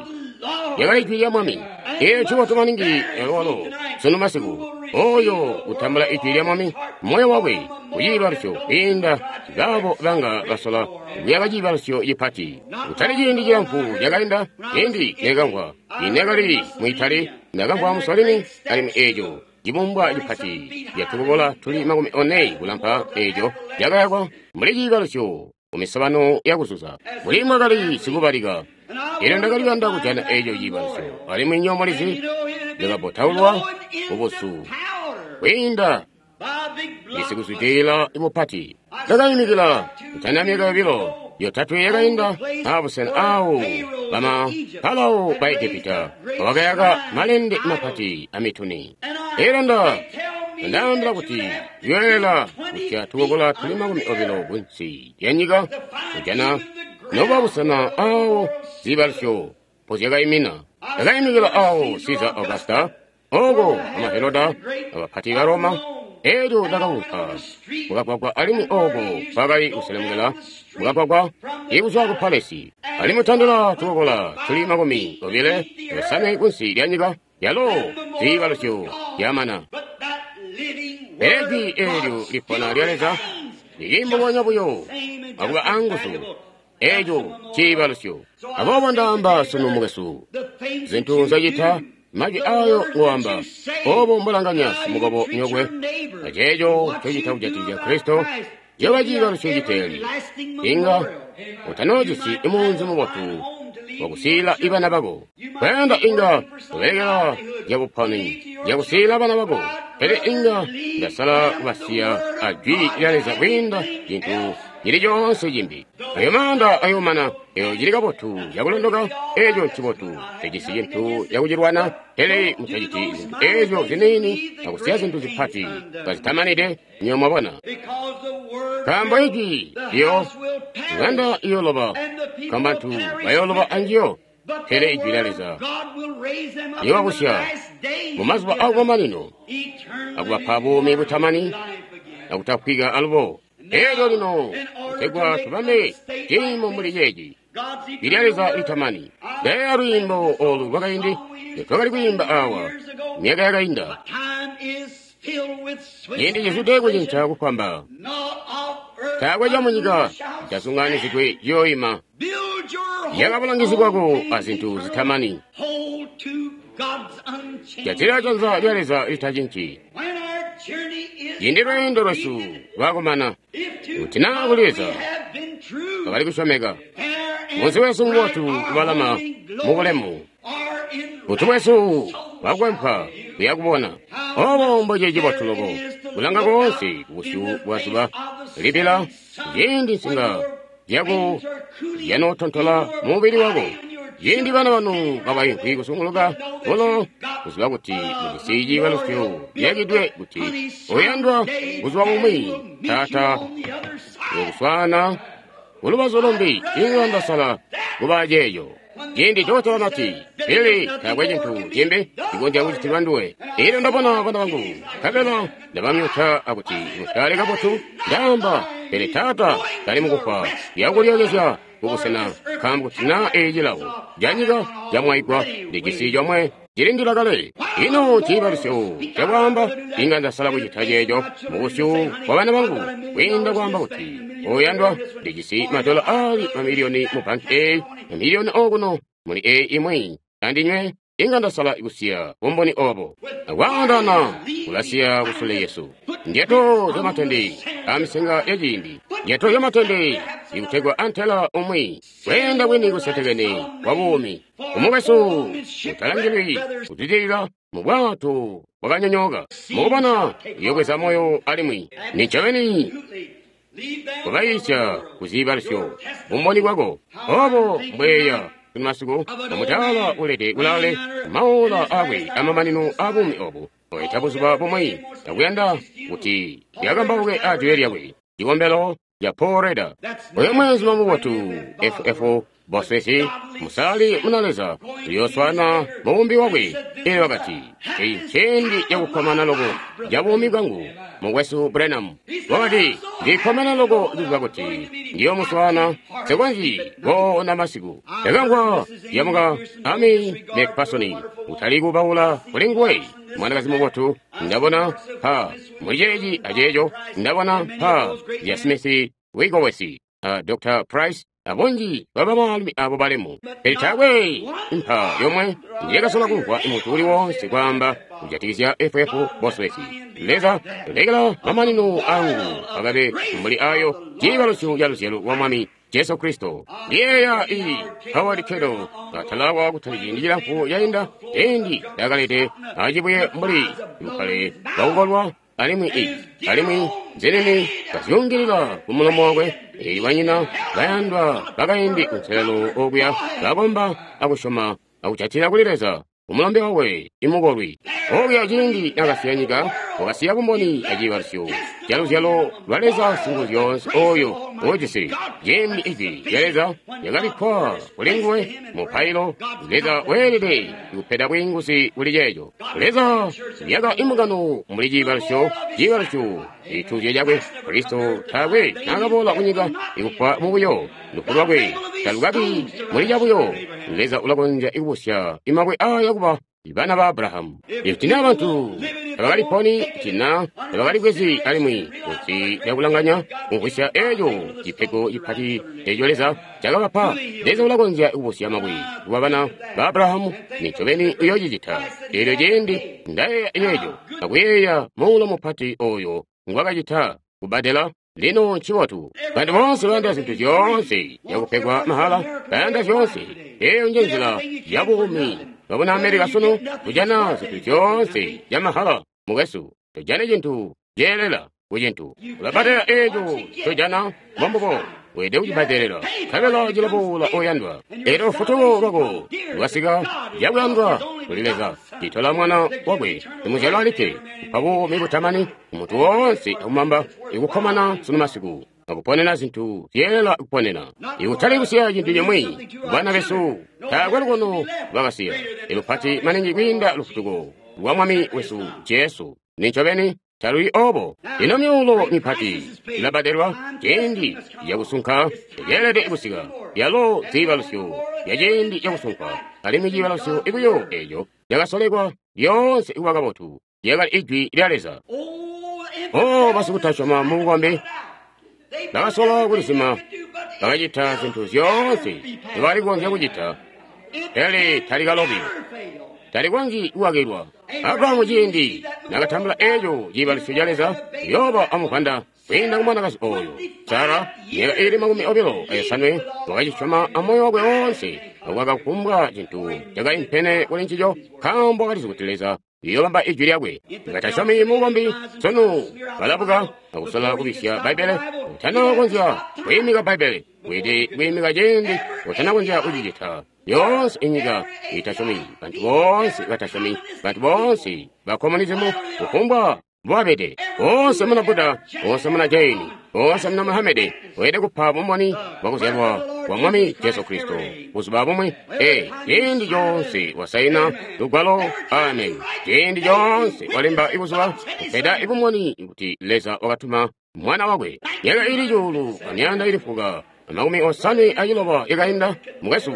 yakali jwi lya Mwami. Eeyo ncibotu maningi walo sunu masiku oyo utambula ijwi lya Mwami moyo wakwe kuciibalusyo kwiinda baabo banga basola kuyaka ciibalusyo cipati. Kutali ciindi cilamfu cakainda, ciindi nekamvwa inekali mu Itali, ndakamvwa Mussolini, alimwi eeco cibumbwa cipati catukokola tuli 40 kulampa eeco cakayakwa mbuli ciibalusyo kumisobano yakuzuza. Mbuli mwakali sikubalika, elyo ndakali kuyanda kujana eeco ciibalusyo, alimwi nywebo mulizi ndakabotaulwa kubusu kwiinda isikuzwidilila mupati. Ndakayimikila kutanda myaka 2 yotatwe yakainda abusena awo bama Farao ba Egepita bakayaka malende mapati amituni. Elyo ndaambila kuti ziyolela kusya tukokola tuli 20 kunsi lyanyika kujana nobuba busena awo ziibalusyo mpozyakaimina. Ndakaimikila awo Caesar Augusta, oko ama Heroda abapati ba Roma. Elyo ndakaunka mukagwagwa alimwi oko kwakali kuselemukela mukagwagwa ikuzwa ku palesi, alimwi tandila tukokola tuli 25 kunsi lyanyika yalo ziibalusyo zyamana. Pele jwi eelyo lipona lya Leza lili mbubonya buyo akuba anguzu. Eeco ciibalusyo. Aboobo ndaamba sunu mukwesu, zintu nzyocita, majwi ayo ngoamba, obo mbulanganya simukobo nyokwe, aceeco ncocita kujatikizya Kristo, cioba ciibalusyo citeeli. Inga utanoojisi imunzi mubotu wakusiila ibana bako. Kuyanda inga kubelekela zyabuponi zyakusiila bana bako, pele inga ndasala kubasiya ajwi lya Leza kwiinda cintu cili coonse cimbi. Ayo maanda ayomana, eyo cili kabotu cakulondoka, eeco ncibotu, tejisi cintu cakucilwana, pele mutaciti zintu eezyo ziniini akusiya zintu zipati kazitamanide, nywebo mwabona. Nkaambo ijwi liyo ŋanda iyoloba, nkaambo bantu bayoloba anjiyo, pele ijwi lya Leza liyobabusya mumazuba akumamanino akubapa buumi butamani akutafwika alubo. Elyo lino kutegwa tubambe ciimo mbuli ceeci, lilya Leza litamani. Ndayeeya lwiimbo olu lwakaindi twakali kwiimba awa myaka yakainda. Ciindi cizwide kucinca kufwamba, taakwe camunyika citasunganizidwe ciyoima. Yaka bulangizi bwako azintu zitamani. Jatila janza lya Leza litacinci. Ciindi lweendo lwesu lwakumana, kuti naa kuli Leza twakali kusyomeka, munzi wesu mubotu kubalama mubulemu, butu bwesu bwakwempa kuya kubona. Obo mboci cibotu loko kulanga koonse kubusyu bwa zuba libila, ciindi nsinga zyako zyanootontola mumubili wako, ciindi bana banu kabaimvwi kusunguluka bulo, kuziba kuti mujisi ciibalusyo ciyakidwe kuti uyandwa buzuba bumwi Taata uyokuswaana kulubazu lumbi. Inga ndasala kuba ceeco. Ciindi dokotela nati, Billy, taakwe cintu cimbi cikonzya kucitilwa nduwe. Elyo ndabona bana bangu, nkabela ndabamyuta akuti musyale kabotu, ndaamba, pele Taata tali mukufwa, kuyakulyokezya kubusena, nkaambo kuti naa eeci cilawo canyika camwaigwa, ndijisi comwe cilindila kale. Ino ciibalusyo cakwaamba, inga ndasala kucita ceeco mubusyu bwa bana bangu, kwiinda kwaamba kuti, oyandwa, ndijisi madola aali mamiliyoni mu banki eeyi, mamiliyoni okuno muli eeyi imwi, andinywe inga ndasala kusiya bumboni obo. Akwaandana kulasiya kusule Yesu. Ndyato zyamatende amisenga yaciindi, ndyato zyamatende ikutegwa antela umwi kweenda kwini kusetekene kwa buumi. Umukwesu utalangilwi kuzwidilila mu bwato bwakanyonyooka. Mukubona uyobweza moyo alimwi nincobeni kubayiisya kuziibalusyo bumboni bwako. Obo mbweya masiku omutaala ulede kulaale maola akwe amamanino a buumi obu oita buzuba bumwi akuyanda kuti yakambauke ajwi lyakwe cikombelo ca Paul Reda. Oyo mwezi mubotu FF Boswesi musali muna Leza uyooswana mubumbi wakwe. Elyo wakati, eyi nciindi cakukkomana loko ca buumi bwangu, mukwesu Branham. Wakati, ndikkomene loko kuziba kuti ndiyomuswana, nsikonzyi koona masiku. Ndakamvwa lyamuka Amy McPherson utali kubaula kuli nguwe, mwanakazi mubotu. Ndabona pa muli ceeci aceeco, ndabona pa lya Smith Wigglesworth, Dr. Price, abunji bwa bamaalumi abo balemu. Pele taakwe mpa yomwe njekasola kumvwa muntu uli woonse kwaamba kujatikizya FF Bosworth. Leza, lekela mamanino angu akabe mbuli ayo ciibalusyo ca luzyalo lwa Mwami Jesu Kristo. Ndiyeeya iyi Howard Kendall atalawa kutali ciindi cilamfu cainda, ciindi ndakalete acibuye mbuli bukkale bwakukolwa alimwi alimwi nzinini kazyungilila ku mulomo wakwe. Eyi banyina bayandwa bakaindi kunselelo okuya bakomba akusyoma akujatila kuli Leza umulombe wakwe imukolwi. Okuya ciindi nakasiya nyika, wakasiya bumboni aciibalusyo ca luzyalo lwa Leza Singuzyoonse oyo ujisi. Ciindi ijwi lya Leza lyakabikkwa kuli nguwe mupailo, Leza weelede kupeda bwiinguzi kuli ceeco. Leza yaka imbungano mbuli ciibalusyo, ciibalusyo cituuzyo cakwe. Kristo taakwe naakaboola kunyika ikufwa mubuyo, lufu lwakwe talukabi muli cabuyo. Leza ulakonzya ikubusya imabwe aaya kuba bana ba Abrahamu. Ikuti naa bantu tabakaliponi, kuti naa tabakalikwezi alimwi kuti lyakulanganya kumvwisya eeco cipego cipati eeco Leza cakabapa, Leza ulakonzya kubusya mabwe kuba bana ba Abrahamu. Nincobeni uyoocicita. Eelyo ciindi ndayeeya eeco akuyeeya muulo mupati oyo ngwakacita kubbadela. Lino ncibotu. Bantu boonse bayanda zintu zyoonse zyakupegwa mahala, bayanda zyoonse. Eeyo nje nzila ya buumi bwabuna Amerika sunu, kujana zintu zyoonse zya mahala. Mukwesu, tojane cintu ceelela ku cintu. Ulabbadelela eeco tojana, mbombubo weelede kucibbadelela, nkabela cilaboola oyandwa. Eelyo lufutuko lwako lwasika cakuyandwa kuli Leza, citola Mwana wakwe simuzyalwa alikke, kupa buumi butamani kumuntu woonse akumamba ikukkomana sunu masiku akuponena zintu zyeelela kuponena, ikutali kusiya cintu cimwi bana besu. Taakwe lukono lwakasiya ilupati maningi kwiinda lufutuko lwa Mwami wesu Jesu. Nincobeni. Taluli obo. Ino myuulo mipati ilabadelwa ciindi cakusunka ceelede kusika. Yalo ziibalusyo ya ciindi cakusunkwa, alimwi ciibalusyo buyo eeco cakasolekwa lyoonse kuba kabotu lyakali Ijwi lya Leza. Oh, basikutasyoma mu bukombi bakasola kulisima, bakacita zintu zyoonse nzibakali kukonzya kucita, pele talikalobi, talikonzyi kukakilwa. Abrahamu ciindi nakatambula eeco ciibalusyo ca Leza, uyooba amuvwanda kwiinda ku mwanakazi ooyo Sara, myaka iili 28, wakacisyoma amoyo wakwe woonse, akukaka cintu cakaimpene kuli ncico, nkaambo wakalizi kuti Leza uyoobamba Ijwi lyakwe. Batasyomi mu bukombi sunu balabuka akusola kubisya Bbaibbele. Utanakonzya kwiimika Bbaibbele, weelede kwiimika ciindi utanakonzya kucicita. Yoonse inyika itasyomi, bantu boonse batasyomi, bantu boonse ba communism, kufumbwa mbobabede, boonse muna Buddha, boonse muna Jaini, boonse muna Muhammad, weelede kupa bumboni bwakuzyalwa kwa Mwami Jesu Kristo buzuba bumwi. Ee, ciindi coonse wasaina lugwalo, amen. Ciindi coonse walemba ibuzuba, kupeda ibumboni kuti Leza wakatuma Mwana wakwe. Myaka iili 1496 yakainda, mukwesu,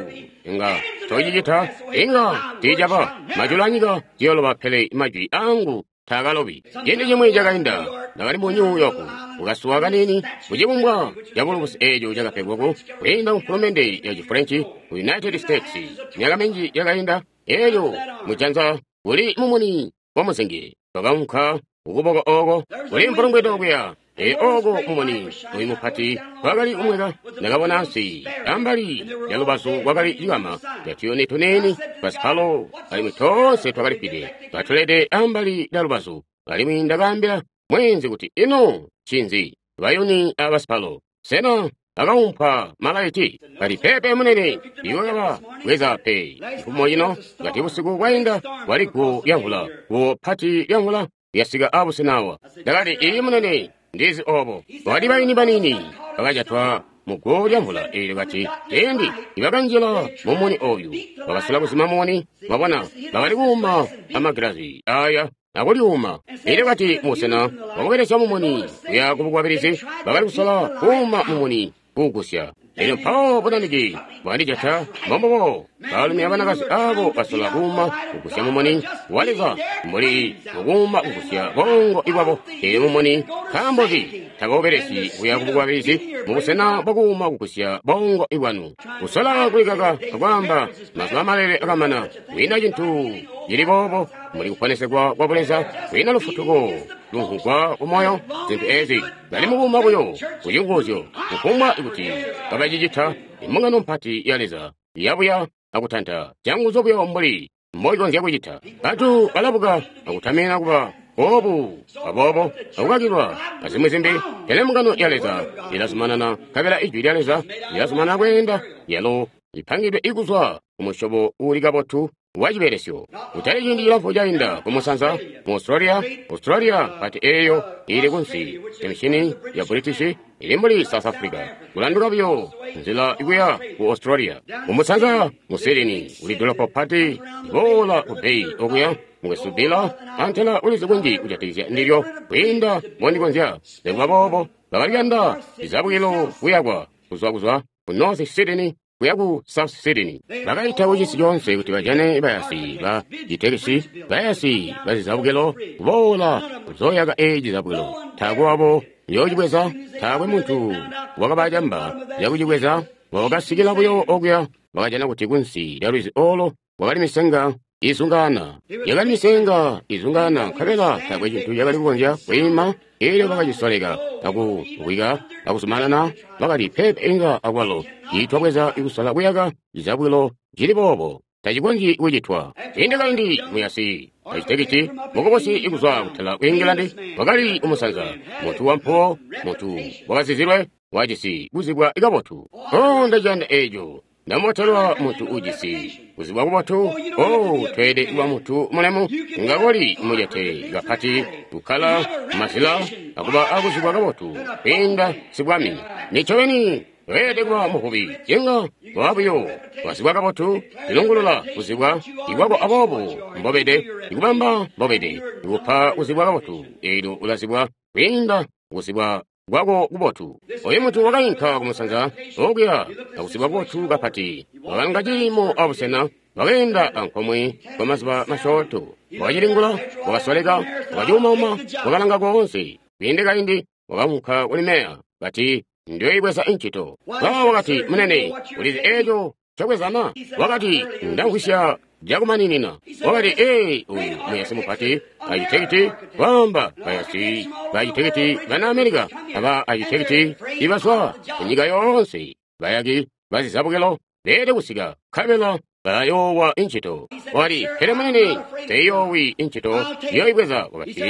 inga tocicita, inga tiicaba. Majulu anyika ziyoloba, pele majwi angu taakalobi. Ciindi cimwi cakainda, ndakali mu New York, kukasuwa kaniini kucibumbwa cabulubusi eeco cakapegwa kwiinda mfulumende ya Chifrenchi ku United States. Myaka minji yakainda, eelyo mujanza kuli mumuni wa muzingi twakaunka kukuboko ooko kuli mpulungwedo kuya. Ee, ooko mumuni oyu mupati kwakali kumweka. Ndakabona ansi ambali ya lubazu kwakali cikama ca tuyuni tuniini twasipalo, alimwi toonse twakalifwide katulede ambali lya lubazu. Alimwi ndakaambila mweenzi kuti, ino ncinzi bayuni abasipalo? Sena akaumpwa malaiti? Kati, peepe munene, iwe kaba bweza pe. Mfumo ino ngati busiku bwainda kwali guwo lya mvula, guwo pati lya mvula lyasika abusena awa. Ndakati, iyi munene, ndizi obo. Bakati bayuni banini bakajatwa mu guwo lya mvula eelyo. Kati ciindi nibakanjila mumuni oyu, bakasola kuzima mumuni, mwabona, bakali kuuma amagilazi aya akulyuuma. Elyo kati mubusena bwakubelesya mumuni kuya kubukwabilizi, bakali kusola kuuma mumuni kuugusya. Elyo mpawo bunanike bwandijata. Mbombubo baalumi abanakazi abo basola kuuma kugusya mumuni wa Leza mbuli mukuuma kugusya bongo ibwabo. Elyo mumuni nkaambo ki takaubelesyi kuya kubukwabilizi mubusena bwakuuma kugusya bongo ibwanu? Kusola kulikaka akwaamba mazuba malele akamana, kwiina cintu cili boobo muli kuponesegwa kwa Buleza, kwiina lufutuko lumvugwa kumoyo. Zintu ezi bali mukuuma buyo kucinguzyo, kufumbwa kuti kabacicita. Imbungano mpati ya Leza yabuya akutanta canguzu buyo mbuli mboikonzya kucita. Bantu balabuka akutamina kuba boobu aboobo akukakilwa azimwi zimbi, pele mbungano ya Leza ilazumanana, nkabela Ijwi lya Leza lilazumanana kweenda. Yalo ipangidwe ikuzwa kumusyobo uuli kabotu wa cibelesyo. Kutali ciindi cilamfu cainda kumusanza mu Australia, Australia pati eeyo ili kunsi emishini ya British ili mbuli South Africa, kulanduka buyo nzila ikuya ku Australia. Kumusanza mu Sydney kuli dolopo pati iboola ku Bay okuya mukwesu Bill antela ulizi kunji kujatikizya ndilyo kwiinda mbondikonzya. Nikuba boobo bakaliyanda izabukilo kuyakwa kuzwa ku North Sydney kuya ku South Sydney. Bakaita kucisi coonse kuti bajane bayasi ba citekisi, bayasi bazizabukilo kuboola kuzoyaka eeci cizabukilo. Taakwe wabo yoocibweza, taakwe muntu wakabacamba yakucibweza. Wakasikila buyo okuya, bakajana kuti kunsi lya lwizi olo kwakali misenga izungaana. Yakali misenga izungaana, nkabela taakwe cintu cakali kukonzya kwiima. Elyo bakacisoleka akuwika akuzumanana, bakati peepe inga akwalo tiitwabweza ikusola kuyaka cizabukilo cili boobo, tacikonzyi kucitwa. Ciindi kaindi muyasi acitekiti mukubusi ikuzwa kutala ku England wakali kumusanza, muntu wampuwo, muntu wakazizilwe, wajisi kuzibwa kabotu. Oh, ndaciyanda eeco. Ndamotelwa muntu ujisi kuzibwa kubotu. Oh, tweelede kuba muntu mulemu, inga koli mucete kapati kukkala mazila akuba akuzibwa kabotu kwiinda sibwami. Nicobeni. Toelede kuba muvubi. Inga waba buyo wazibwa kabotu, ilungulula kuzibwa ikwako aboobo mbobede, ikubamba mbobede, ikupa kuzibwa kabotu, eelyo ulazibwa kwiinda kuzibwa kwako kubotu. Oyu muntu wakainka kumusanza okuya akuzibwa kubotu kapati, wakalanga ciimo abusena, wakeenda ankomwe kwa mazuba masyoonto, wakacilingula, wakasoleka, wakacuumauma, wakalanga koonse. Kwiinde kaindi wakaunka kuli meya, kati, Ndiyoibweza incito. Mpawo wakati, Munene, ulizi eeco ncobwezana? Wakati, Ndamvwisya cakumaninina. Wakati, Ee, uyu muyasi mupati, acitekiti, kwaamba bayasi bacitekiti bana Amerika, aba acitekiti ibazwa kunyika yoonse, bayaki bazizabukilo, beelede kusika, nkabela balayoowa incito. Wakati, Pele munene, nseyoowi incito, ndiyoibweza. Wakati,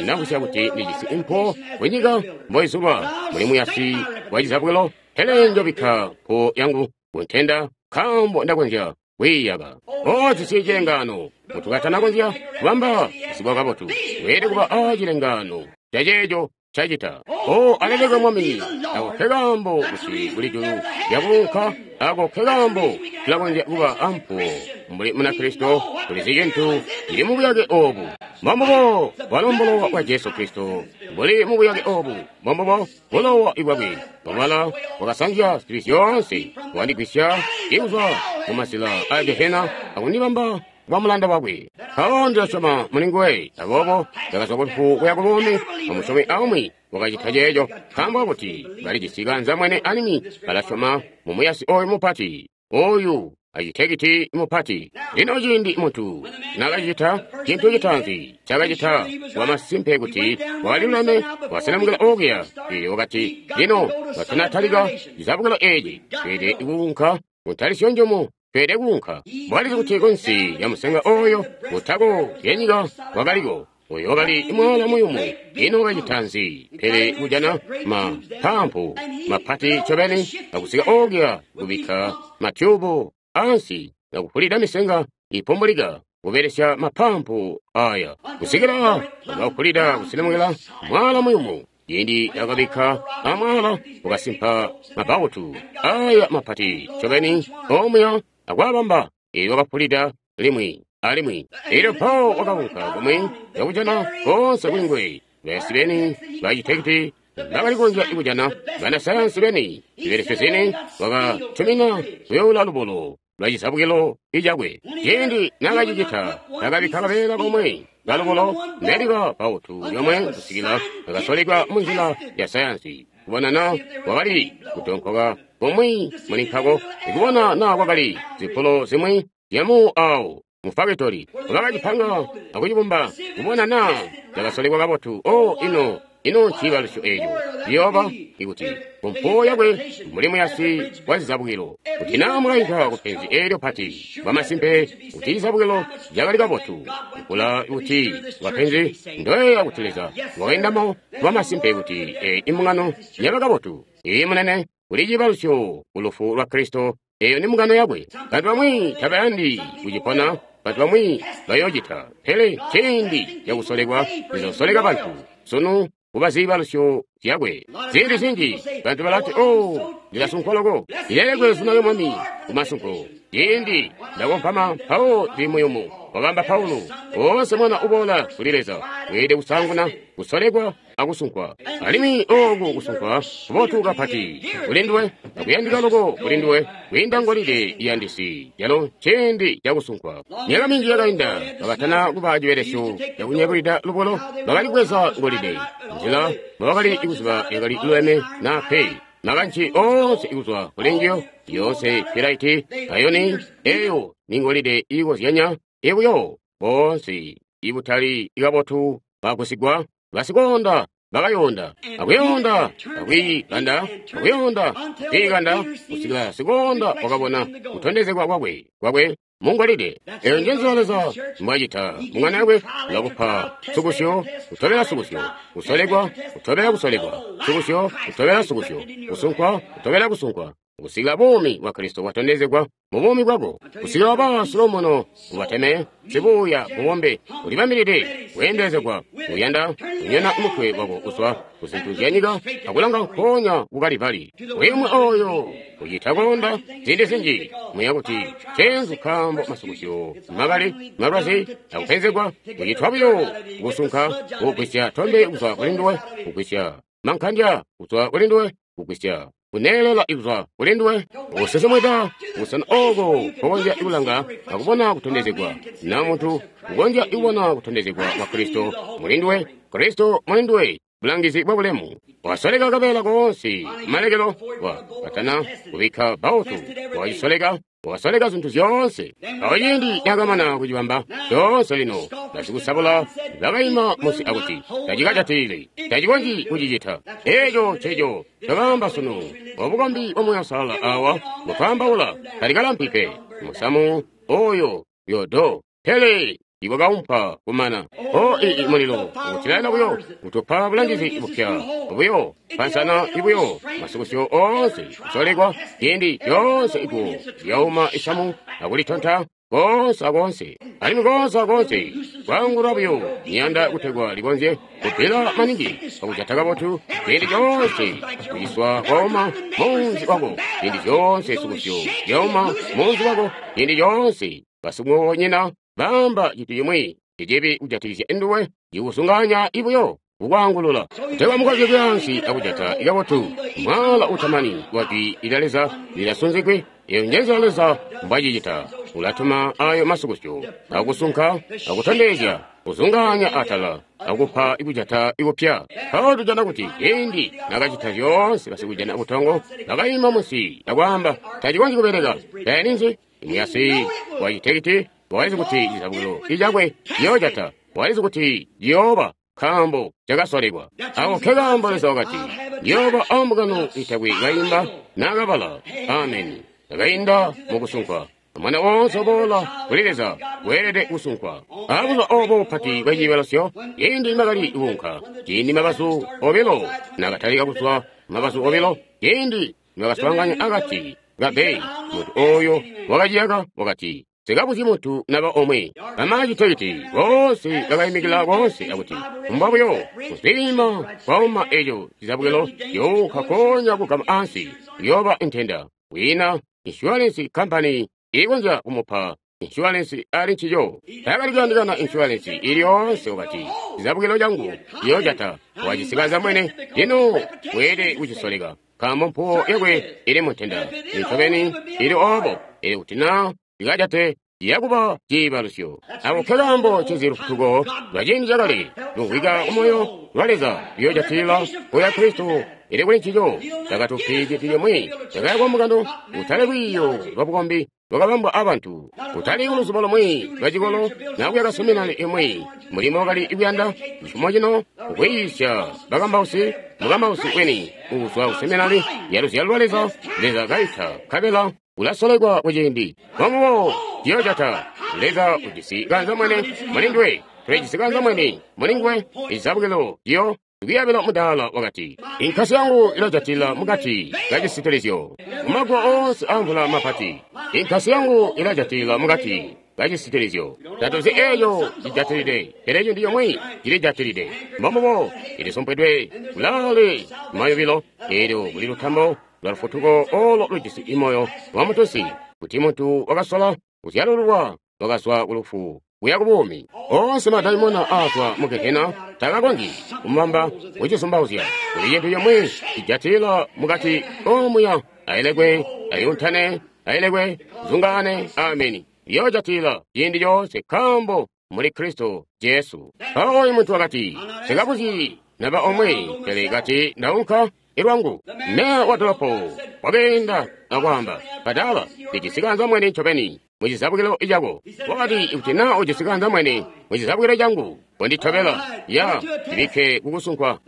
Ndamvwisya kuti ndijisi impuwo kunyika mboizulwa, muli muyasi wa cizabukilo, pele njobikka mpuwo yangu kuntenda, nkaambo ndakonzya kwiiyaka. O jisi cilengaano, muntu katanakonzya kubamba kuzibwa kabotu, weelede kuba a cilengaano caceeco cacita. O alelekwe Mwami, ako nkekaambo kuti kuli julu lyakuunka, ako nkekaambo tulakonzya kuba ampuwo mbuli Munakristo. Tulizi cintu cili mubuyake oobu, mbombubo bwalo mbulowa bwa Jesu Kristo buli mubuyake oobu, mbombubo bulowa bwakwe bwabala bwakasanzya zibi zyoonse, bwandigwisya ikuzwa mumazila a Gehena akundibamba kwa mulanda wakwe. Mpawo ndilasyoma muli nguwe, aboobo ndakazwa kulufu kuya kubuumi. Amusyomi aumwi wakacita ceeco, nkaambo kakuti balijisi kaanzambwene alimwi balasyoma mu muyasi oyu mupati, oyu acitekiti mupati. Lino ciindi muntu nakacita cintu citaanzi cakacita wamasimpe kuti wakaliluleme, wakaselemukila okuya, eelyo wakati, Lino katanatalika cizabukilo eeci, tweelede kuunka kuntalisyo njumu. Tweelede kuunka. Bwalizi kuti kunsi lya musenga oyo kutako lyanyika wakaliko, oyo wakali mwaala muyumu. Ino wakacita nzi? Pele kujana mapampu mapati ncobeni akusika okuya kubikka matyubu ansi akufulida misenga ipumbulika kubelesya mapampu aya kusikila wakafulida kuselemukila mwaala muyumu. Ciindi akabikka amwaala wakasimpa mabautu aya mapati ncobeni omuya akwaabamba, eelyo wakafulida limwi alimwi. Eelyo mpawo wakaunka kumwi kakujana koonse kuli nguwe, bayasi beni bacitekiti bakali kukonzya kujana, banasayansi beni, zibelesyo zini, wakatumina kuyoula lubulo lwa cizabukilo icakwe. Ciindi nakacicita, nakabikka kabeela komwe kalubulo neliba bautu lyomwe kusikila kakasolekwa munzila ya sayansi, kubona na kwakali kutonkoka kumwi muli nkako, ikubona na kwakali zipulo zimwi zyamu awo mu fakitori bakacipanga akucibumba, kubona na cakasolekwa kabotu. O ino ino nciibalusyo eeco ciyooba ikuti kumpuwo yakwe mbuli muyasi wa zizabukilo, kuti naa mukainka kupenzi eelyo pati, bwamasimpe kuti cizabukilo cakali kabotu, kula kuti kwapenzi ndoyeeya kuti Leza wakaindamo, bwamasimpe kuti eyi imbungano yaba kabotu. Iyi munene, kuli ciibalusyo ku lufu lwa Kristo, eyo ni mbungano yakwe. Bantu bamwi tabayandi kucipona, bantu bamwi bayoocita, pele ciindi cakusolekwa lizosoleka bantu sunu kuba ziibalusyo zyakwe. Ziindi zinji bantu balati, O, ndilasunkwa loko, ndilelekwe zina lya Mwami kumasunko. Ciindi ndakompama mpawo ndili muyumu, wakaamba Paulo. Woonse mwana uboola kuli Leza weelede kusaanguna kusolekwa akusunkwa. Alimwi ooku kusunkwa kubotu kapati kuli nduwe, akuyandika loko kuli nduwe kwiinda ngolide iyandisi, calo nciindi cakusunkwa. Myaka minji yakainda, bakatana kuba cibelesyo cakunyebulida lubulo, bakali kubweza ngolide nzila mbobakali kuziba yakali luleme naa pe. Makanci oonse kuzwa kuli njiyo, yoonse pilaiti, ayoni, eyo ni ngolide iikozyanya ibuyo, boonse ibutali kabotu bagusigwa, basikoonda bakayonda, akuyonda, akwiikanda, akuyonda, akwiikanda, kusikila sikoonda wakabona kutondezegwa kwakwe kwakwe mungolide. Eyo nje nzila Leza mbwacita mung'anda yakwe, ulakupa sukusyo, kutobela sukusyo, kusolekwa, kutobela kusolekwa, sukusyo, kutobela sukusyo, kusunkwa, kutobela kusunkwa. Kusikila buumi bwa Kristo bwatondezegwa mu buumi bwako, kusikila waba siluumuno, ubateme, sibuuya, mubombe, ulibambilide kweendelezegwa, uyanda kunyona mutwe wako kuzwa ku zintu zya nyika akulanga nkoonya ku Kalivali. Uyumwe oyo ucita koonda ziindi zinji muya kuti cenzu nkaambo masukusyo makali, malwazi, akupenzegwa, kucitwa buyo kusunka, kugwisya tombe kuzwa kuli nduwe, kugwisya mankandya kuzwa kuli nduwe, kugwisya kuneelela kuzwa kuli nduwe, kusesemweka busena oko kokonzya kulanga akubona kutondezegwa na muntu kukonzya kubona kutondezegwa kwa Kristo muli nduwe, Kristo muli nduwe, bulangizi bwa bulemu. Wasoleka kabeela koonse kumalekelo, wa katana kubikka bautu, wacisoleka, wasoleka zintu zyoonse. Awo ciindi cakamana kucibamba coonse lino, basikusabula bakaima munsi akuti, tacikajatilili, tacikonzyi kucicita. Eeco nceco cakaamba sunu, obukombi bwa Muuya Uusalala awa mutwaambaula, talikalampi pe, musamu oyo yodo, pele ibwakaumpa kumana. O ii mulilo ukutilaila buyo, kutupa bulangizi bupya buyo, pansana ibuyo, masukusyo oonse kusolekwa, ciindi coonse iguwo lyauma isamu akulitonta koonse akoonse, alimwi koonse akoonse kwaangulwa buyo miyanda kutegwa likonzye kubbila maningi akujata kabotu ciindi coonse kuciswa kwauma muunzi wako, ciindi coonse sukusyo lyauma muunzi wako, ciindi coonse basimukobonyina baamba cintu cimwi cicibi kujatikizya nduwe, cikusunganya ibuyo kukwaangulula kutegwa mukonzye kuyaansi akujata ikabotu mwaala utamani wa jwi lya Leza lilasunzigwe. Eyo njenzila Leza mbwacicita. Ulatuma ayo masukusyo akusunka akutondezya kuzungaanya atala akupa ikujata ikupya. Mpawo tujana kuti ciindi nakacita zyoonse basikujana butongo bakaima munsi akwaamba tacikonzyi kubeleka. Tayaninzi imuyasi wa citekiti walizi kuti cizabukilo icakwe ciyoojata, walizi kuti ciyooba nkaambo cakasolekwa. Ako nkekaambo Leza wakati, ndiyooba ambungano itakwe kaimba nakabala. Ameni. Takainda mukusunkwa. Mwana woonse uboola kuli Leza weelede kusunkwa. Abuzuba obo bupati bwaciibalusyo, ciindi nibakali kuunka, ciindi mabazu obilo nakatalika kuzwa mabazu obilo, ciindi nibakaswaanganya akati ka Bay, muntu oyo wakaciyaka wakati, sikabuzyi muntu naba omwe. Bamacitekiti boonse bakaimikila boonse akuti, mbwa buyo kuzwima kwauma eco cizabukilo younka konya kugama ansi, kuyooba ntenda. Kwiina insurance company iikonzya kumupa insurance ali ncico. Taakali kuyandikana insurance ili yoonse wakati, cizabukilo cangu ciyoojata, wacisikaza mwene, lino weelede kucisoleka, nkaambo mpuwo yakwe ili muntenda. Ncobeni ili obo, ili kuti naa ikajate yakuba ciibalusyo. Ako nkekaambo ncinzi lufutuko lwa ciindi cakale lumvwika kumoyo lwa Leza luyoojatilila kuya Kristo ili kuli ncico. Takatupi cintu cimwi cakayakwa mukano, kutali lwiiyo lwa bukombi lwakabambwa abantu, kutali kuluzubo lumwi lwa cikolo na kuyaka seminari imwi. Mulimo wakali kuyanda cifumo cino kukwiisya bakambausi, mukambausi weni uuzwa ku seminari ya luzyalo lwa Leza. Leza kaita nkabela ulasolekwa kuciindi mwamuwo ciyoojata. Leza ujisi kanza mwene muli nduwe, tulijisi kanza mwene muli nguwe. Izabukilo ciyo kuyabila mudaala wakati, inkasi yangu ilajatila mukati kacisitilizyo mumagwa oonse amvula mapati. Inkasi yangu ilajatila mukati kacisitilizyo. Tatuzi eeco cijatilide, pele cintu comwe cilijatilide. Mbombubo ilisumpwidwe kulaale mayubilo, eelyo kuli lutambo lwa lufutuko olo lujisi imoyo wa mutusi, kuti muntu wakasola kuzyalululwa wakazwa kulufu kuya kubuumi. Oonse madaimona aazwa mu gehena takakonzyi kumubamba kucisumbauzya. Kuli cintu comwe cijatilila mukati omuya, ailekwe, ayuntane, ailekwe, zungaane. Ameni. Liyoojatilila ciindi coonse nkaambo muli Kristo Jesu. Mpawo oyu muntu wakati, sikabuzyi naba omwe, pele kati ndaunka ilwangu. Meya wa dolopo wakeenda akwaamba, badala, ndijisi kanza mwene ncobeni mucizabukilo cako. Wakati, ikuti naa ujisi kanza mwene mucizabukilo cangu, konditobela, ya ndibikke kukusunkwa.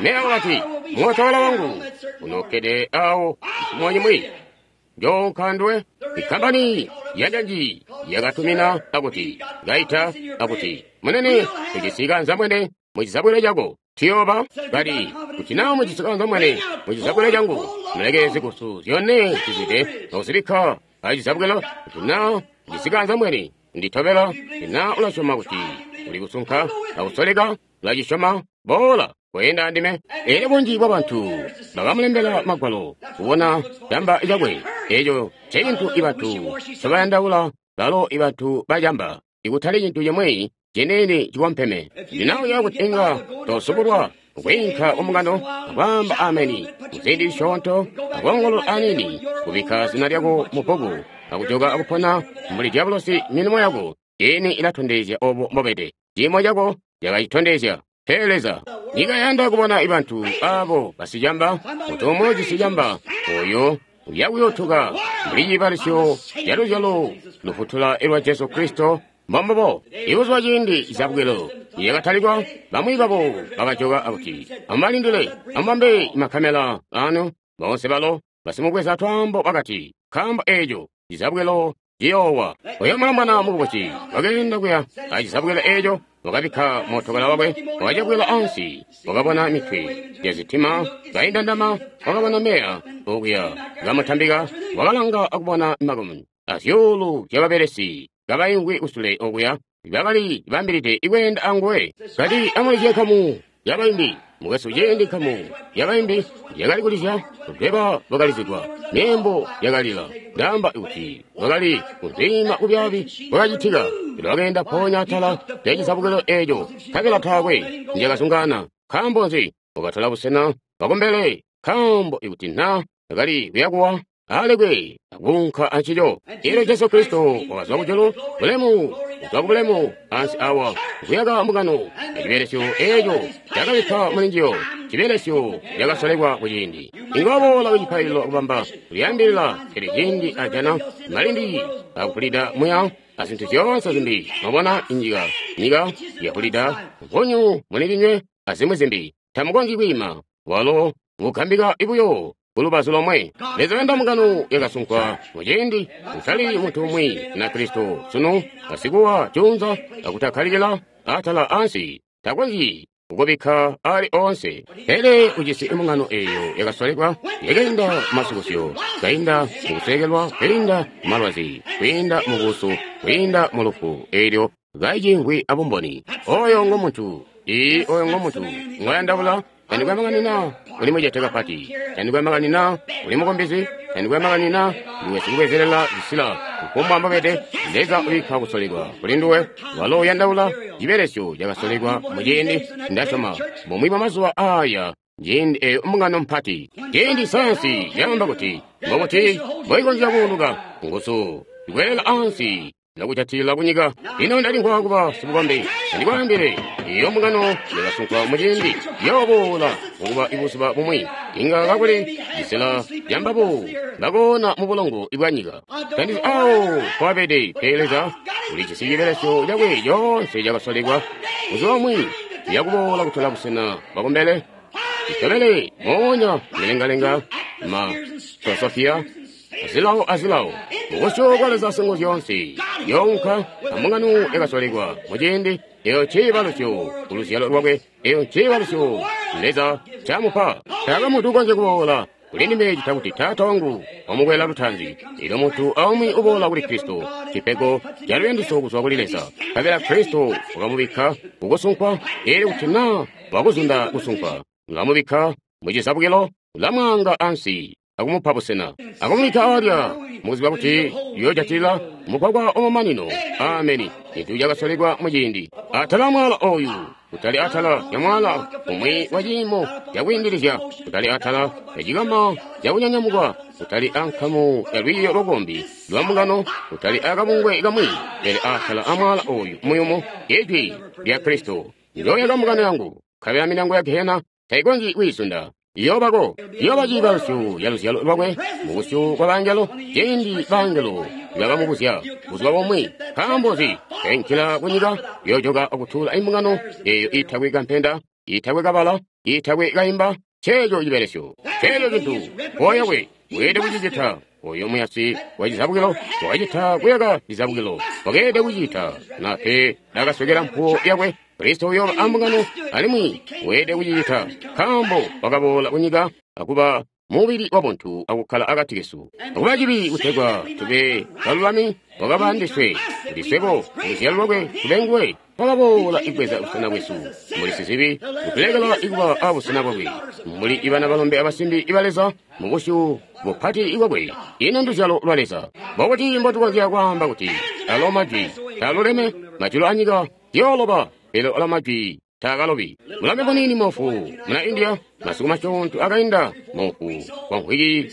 Meya wakati, mootokala wangu unokkede awo cifumo cimwi. Njoonka nduwe. Ikkampani yanjanji yakatumina akuti kaita akuti, munene, ujisi kanza mwene mucizabukilo cako. Tuyoba kati kuti naa mujisi kaanzambwene mucizabwelo cangu, muleke zikusu zyone zizwide nokuzibikka acizabwelo. Kuti naa ujisi kaanzambwene nditobela, kuti naa ulasyoma kuti uli kusunka akusoleka, ulacisyoma, boola kweenda andime. Elyo bunji bwa bantu bakamulembela magwalo kubona camba cakwe. Eco ncecintu ibantu ncobayandaula, balo ibantu bacamba, ikutali cintu cimwi ciniini cikompeme. Ndinauya kuti inga tosubulwa kwiinka kumungano akwaamba ameni muziindi zisyoonto akoongolola aniini, kubikka zina lyako mu bbuku akujoka akupona mbuli dyabulosi. Milimo yako ini ilatondezya obo mbobede. Ciimo cako cakacitondezya. Pele Leza nyika yanda kubona ibantu abo basicamba, muntu umwi ujisi camba oyo uyakuyotuka mbuli ciibalisyo ca luzyalo lufutula lwa Jesu Kristo. Mbombubo. Ibuzuba ciindi zabwelo yakatalikwa, bamwi babo bakajoka akuti, amubalindile, amubambe makamela anu. Boonse balo basimubweza twaambo bakati, nkaambo eeco cizabwelo ciyoowa. Oyo mulombwana mukubusi wakeenda kuya acizabwelo eeco, wakabikka mootokala wakwe, wakacabwela ansi, wakabona mitwe ya zitima kaindandama, wakabona meya okuya kamutambika, wakalanga akubona makumi azyuulu zyababelesi kabaimvwi kusule okuya bakali bambilide ikweenda anguwe. Kati amulizye nkamu yabaimbi. Mukwesu, ciindi nkamu yabaimbi yakali kulizya, lweba lwakalizigwa, myeembo yakalila. Ndaamba kuti lwakali kunzwiima kubyaabi kwakacitika. Lwakeenda mpoonya atala lyacizabukilo eeco, nkabela taakwe ndyakazungaana. Nkaambo nzi? Wakatola busena bwakumbele, nkaambo ikuti naa akali kuyakuwa, alekwe akuunka ancico. Elyo Jesu Kristo wakazwa kujulu, bulemu kuzwa kubulemu, ansi awa kuyaka mbungano. Acibelesyo eeco cakabikka muli njiyo, cibelesyo cakasolekwa kuciindi. Inga waboola kucipaililo akubamba kulyaambilila, pele ciindi ajana malindi akupulida muya azintu zyoonse zimbi, mwabona inyika, nyika yapulida nkunyu mulindinywe azimwi zimbi, tamukonzyi kwiima. Walo ngukambika buyo kulubazu lomwe. Leza wenda mbungano yakasunkwa muciindi, kutali muntu umwi na Kristo sunu, basikuwa juunza akutakkalikila atala ansi, takonzyi kukubikka ali oonse. Pele ujisi mbungano eeyo yakasolekwa, yakainda masukusyo, kainda mukusweekelwa, kwiinda malwazi, kwiinda mubuusu, kwiinda mu lufu, eelyo kaicimvwi abumboni. Oyo ngo muntu. Ii, oyo ngo muntu ngoyandaula. Tandikwe makani naa uli mucete kapati, tandikwe makani naa uli mukumbizi, tandikwe makani naa ndiwe sikubwezelela zisila, kufumbwa mbobede, Leza ubikka kusolekwa kuli nduwe. Walo uyandaula cibelesyo cakasolekwa muciindi. Ndasyoma bumwi bwa mazuba aya, ciindi eeyo mbungano mpati, ciindi sayansi yaamba kuti mbokuti mboikonzya kuuluka, nguzu ikwelela ansi nakujatilila kunyika. Lino ndalimvwa kuba sibukombi, andikwaambile, iyo mbungano yakasunkwa muciindi yooboola kukuba ibuzuba bumwi, inga kakuli cisela cambabo bakoona mu bulongo bwa nyika. Tandizi awo kwabede, pele Leza ulijisi cibelesyo cakwe coonse cakasolekwa buzuba bumwi yakuboola kutola busena bwakumbele. Itobele moonya milengalenga ma filosofia azilawo azilawo mubusyu bwa Leza Singuzyoonse younka ambungano yakasolekwa muciindi. Eyo nciibalusyo kuluzyalo lwakwe, eyo nciibalusyo Leza ncamupa. Taakwe muntu ukonzya kuboola kuli ndime cita kuti Taata wangu wamukwela lutaanzi. Elyo muntu aumwi uboola kuli Kristo, cipego ca luyandisyo kuzwa kuli Leza. Nkabela Kristo wakamubikka kukusunkwa, elyo kuti naa wakuzunda kusunkwa, ulamubikka mucizabukilo, ulamwaanga ansi akumupa busena, akumubikka alya, mukuziba kuti uyoojatilila mugwagwa wamamanino. Ameni. Cintu cakasolekwa muciindi. Atala amwaala oyu, kutali atala lya mwaala umwi wa ciimo cakwiindilizya, kutali atala lya cikama cakunyanyamukwa, kutali ankamu ya lwiiyo lwabukombi lwa mbungano, kutali akabungwe kamwi, pele atala amwaala oyu muyumu, Ijwi lya Kristo. Njooyaka mbungano yangu, nkabela milyango ya gehena taikonzyi kwiizunda. Iyoobako, iyooba ciibalusyo ca luzyalo lwakwe mubusyu bwa bangelo, ciindi bangelo nibakamubuzya buzuba bumwi, nkaambo nzi tainkila kunyika, yoojoka akutuula imbungano eeyo iitakwe kampenda, iitakwe kabala, iitakwe kaimba. Nceeco cibelesyo, nceeco cintu koyakwe weelede kucicita. Oyo muyasi wa cizabukilo wakacita kuyaka cizabukilo, wakeelede kucita, na pe nakaswekela mpuwo yakwe. Kristo uyooba ambungano, alimwi weelede kucicita, nkaambo wakaboola kunyika akuba mubili wabuntu akukkala akati kesu. Akuba cibi kutegwa tube balulami, wakaba ndiswe, kuti swebo luzyalo lwakwe tube nguwe. Wakaboola ibweza busena bwesu mbuli sizibi, kutulekela ikuba abusena bwakwe mbuli ibana balombe abasimbi iba Leza mu busyu bupati ibwakwe. Ino nduzyalo lwa Leza. Mbokuti mbotukonzya kwaamba kuti alo majwi taaluleme? Majulu anyika yooloba, pele alo majwi taakalobi. Mulambe muniini moofu muna India, masiku masyoonto akainda, moofu kwa mvwiki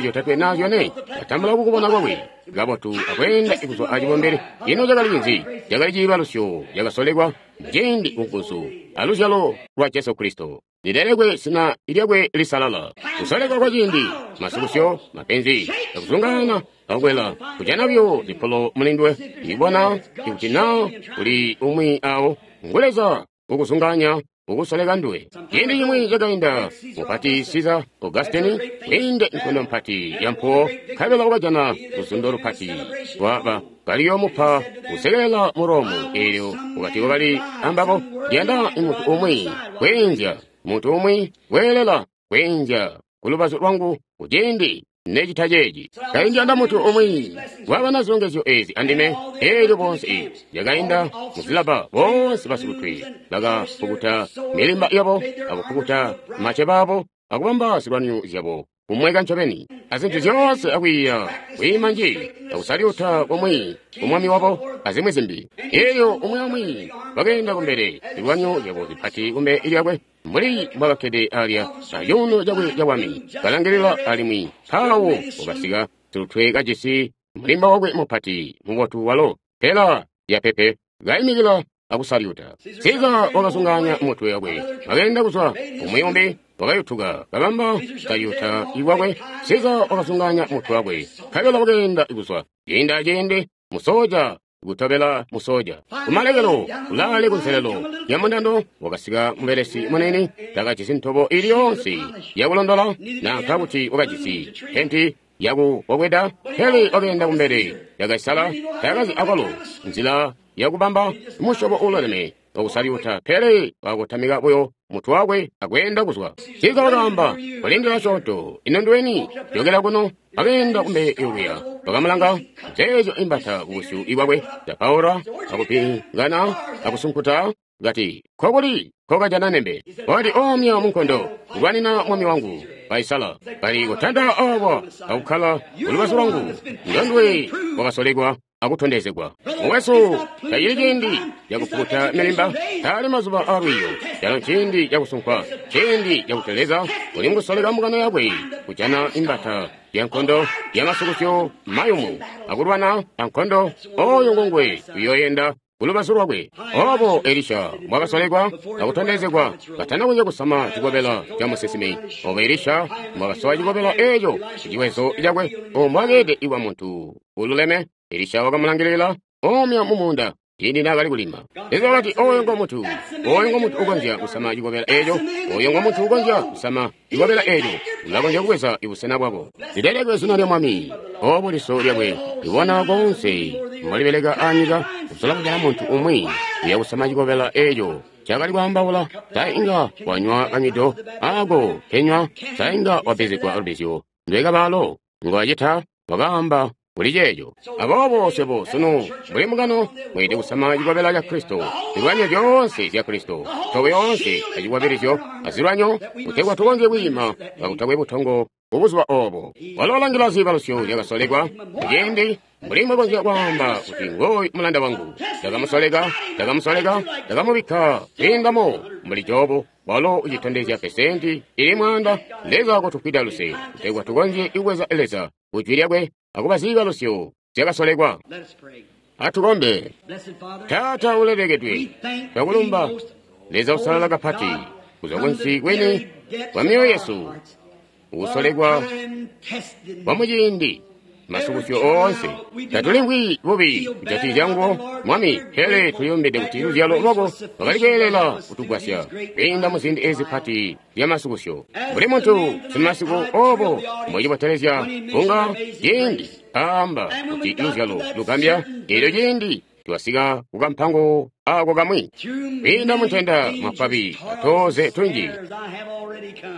zyotatwe na zyone, katambula kukubona kwakwe kabotu akweenda kuzwa acibombele. Ino cakali cinzi? Cakali ciibalusyo cakasolekwa muciindi kunguzu aluzyalo lwa Jesu Kristo. Lilelekwe zina lyakwe lisalala. Kusolekwa kwa ciindi, masukusyo, mapenzi, akuzungana, akwela, kujana buyo zipolo mulindwe, ibona ikuti na kuli umwi awo ngu Leza ukuzunganya ukusoleka nduwe. Ciindi cimwi cakainda, mupati Caesar Augustine wiinde nkondo mpati ya mpuwo, nkabela wakajana luzundo lupati lwaba kaliyomupa kusekelela mu Romu. Eelyo wakati wakali ambabo, ndiyanda muntu umwi kweenzya, muntu umwi weelela kweenzya kulubazu lwangu kuciindi necita ceeci. Kaindiyanda muntu umwi wabana zilongezyo ezi andime. Eelyo bonse yakainda muzilaba, bonse basilutwe bakapukuta milimba yabo akupukuta maceba abo akubamba zilwanyo zyabo kumweka ncobeni azintu zyoonse akwiiya kwiima nji akusalyuta kumwi kumwami wabo azimwi zimbi. Eelyo umwi amwi bakeenda kumbele zilwanyo zyabo zipati kumbele lyakwe, mbuli mbwakakkede alya acuuno cakwe cabwami kalangilila, alimwi mpawo wakasika silutwe kajisi mulimba wakwe mupati mubotu walo pela yapepe kaimikila akusalyuta. Siza wakazunganya mutwe wakwe, wakeenda kuzwa umwi umbi wakayutuka kabamba salyuta iwakwe. Siza wakazunganya mutwe wakwe, nkabela wakeenda kuzwa ciindi aciindi, musoja kutobela musoja. Kumalekelo kulaale kunselelo ya mundando wakasika mubelesi munene, takajisi ntobo ili yonse yakulondola nanka kuti wakajisi penti yakukokweda, pele wakeenda kumbele yakaisala, takazi akwalo nzila yakubamba musyobo uululeme wakusalyuta, pele wakutamika buyo mutwe wakwe akweenda kuzwa. Siza wakaamba, kulindila asyoonto, ino nduweni? Jokela kuno. Wakeenda kumbele yokuya, wakamulanga zeezyo imbata kubusyu ibwakwe, zapaula akupingana akusunkuta, kati, kokuli kokajana nembe? Wakati, omya munkondo kulwanina mwami wangu Kaisala. Kali kutanda awa akukkala kulubazu lwangu, ndondwe wakasolekwa akutondezegwa. Mukwesu, tacili ciindi cakupukuta milimba, taali mazuba alwiyo, calo nciindi cakusunkwa, ciindi cakuti Leza uli mukusoleka mbungano yakwe kujana imbata ya nkondo yamasukusyo mayumu akulwana ankondo. Oyo ngongwe uyoyenda kulubazu lwakwe. Obo Elisha mbwakasolekwa akutondezegwa katana kuja kusama cikobela ca musinsimi. Obo Elisha mbwakasowa cikobela eco kuciwezo cakwe, ombwakeede iwa muntu ululeme. Elisha wakamulangilila omya mumuunda ciindi naakali kulima. Leza wakati, oyo ngomuntu, oyo ngomuntu ukonzya kusama cikobela eco, oyo ngomuntu ukonzya kusama cikobela eco, ulakonzya kubweza ibusena bwako. Lilelekwe zina lya Mwami. Obo liso lyakwe libona konse mbolibeleka anyika, kusola kujana muntu umwi uya kusama cikobela eco cakali kwaambaula. Sainga wanywa kanywido ako kenywa, sainga wabezegwa lubizyo ndwekabalo ngwacita, wakaamba kuli ceeco. Aboobo swebo sunu mbuli mbungano mweelede kusama cikobela ca Kristo, zilwanyo zyoonse zya Kristo, ntobo yoonse acikwabilizyo azilwanyo, kutegwa tukonzye kwiima kakutakwe butongo kubuzuba obo. Walo walangila ziibalusyo zyakasolekwa kuciindi mbuli mbwekonzya kwaamba kuti ngooyu mulanda wangu, ndakamusoleka, ndakamusoleka, ndakamubikka kwiindamo mbuli Jobu. Walo ucitondezya pesenti ili 100. Leza kotufwida luse kutegwa tukonzye kubweza Leza kujwi lyakwe akuba ziibalusyo zyakasolekwa. Atukombe. Taata ulelekedwe, twakulumba Leza usalala kapati kuzwa kunsi kwini kwa mioyo yesu, ukusolekwa kwa muciindi masukusyo oonse. Tatulimvwi bubi kujatikizya nguwo, Mwami, pele tuliyumbide kuti luzyalo lwako lwakali kweelela kutugwasya kwiinda mu ziindi ezi pati zyamasukusyo. Mbuli muntu simasiku obo mbwecibotelezya kunga ciindi aamba kuti luzyalo lugambya, eelyo ciindi Twasika ku kampango ako kamwi. Kwiinda muntenda, mafwabi, atooze tunji.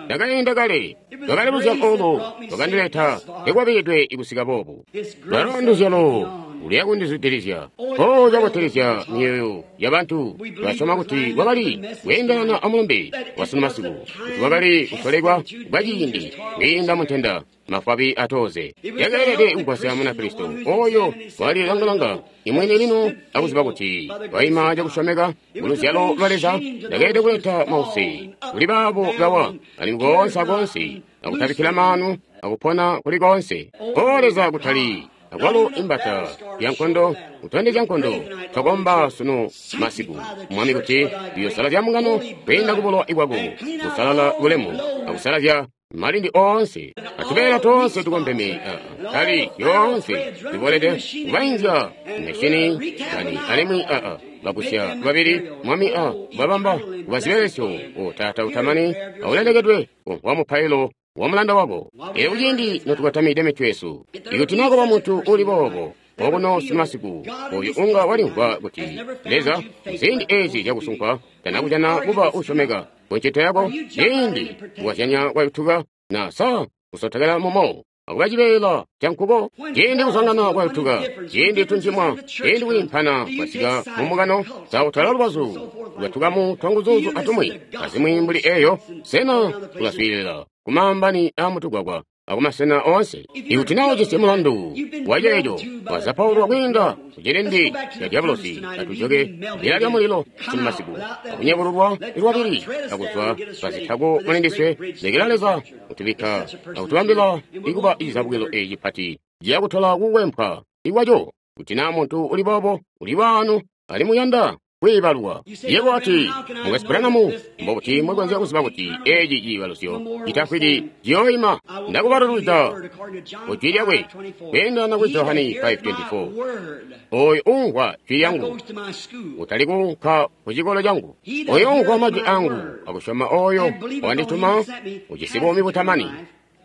Ndakainda kale. Lwakali luzyalo olo lwakandileta ndekwabilidwe kusika boobu. Lwalo nduzyalo luya kundizwidilizya. O cabotelezya myoyo yabantu basyoma kuti kwakali kweendelana amulumbe wa masiku, kuti kwakali kusolekwa kwa ciindi kwiinda muntenda, mafwabi atoze. Yakeelede kugwasya Munakristo oyo walilanga-langa imwene lino akuziba kuti waima cakusyomeka kuluzyalo lwa Leza. Yakeelede kuleta mause kuli baabo bawa alimwi koonse akoonse akutabikkila maanu akupona kuli koonse. O Leza, kutali akwalo imbata ya nkondo kutondezya nkondo. Twakomba sunu masiku, Mwami, kuti uyosalazya mbungano kwiinda kubulowa bwako, kusalala bulemu akusalazya malindi oonse atubeela toonse tukompeme, tali yoonse zibolede kubainzya meshini kani alimwi bagusya babili, Mwami, babamba kuba zibelesyo. O Taata utamani aulelekedwe wa mupailo wa mulanda wako. Elyo kuciindi notukatamide mitwe yesu, ikuti nakuba muntu uli boobo okuno simasiku oyu unga walimvwa kuti Leza muziindi ezi zyakusunkwa tanakujana kuba usyomeka kuncito yako, ciindi kukazyanya kwayutuka na sa kusotekela mumo akuba cibeela ca nkuko, ciindi kuzwangana kwayutuka, ciindi tunjimwa, ciindi kwiimpana kwasika mumukano, sa utala lubazu lwatukamu twanguzuzu atumwi azimwi mbuli eyo, sena ulaswiilila kumaambani aamutugwagwa akumasena oonse? Ikuti naa ujisi mulandu waceeco, wazapaulwa kwiinda kucilindi ca dyabulosi, atujoke bila lya mulilo sunu masiku akunyebululwa lwabili akuzwa pazitako mulindiswe. Lekela Leza kutubikka akutubambila ikuba icizabukilo eci cipati ciyakutola kukwempwa ikwaco. Kuti naa muntu uli boobo uli waano alimwi uyanda kwiibalwa, yebo wati, Mukwesu Branham, mbobuti mwekonzya kuziba kuti eci ciibalusyo citafwiki ciyooima? Ndakubalulwida ku jwi lyakwe kweendana ku Johani 5:24. Oyo uumvwa jwi lyangu, utali kuunka ku cikolo cangu, oyo uumvwa majwi angu akusyoma oyo wandituma ujisi buumi butamani,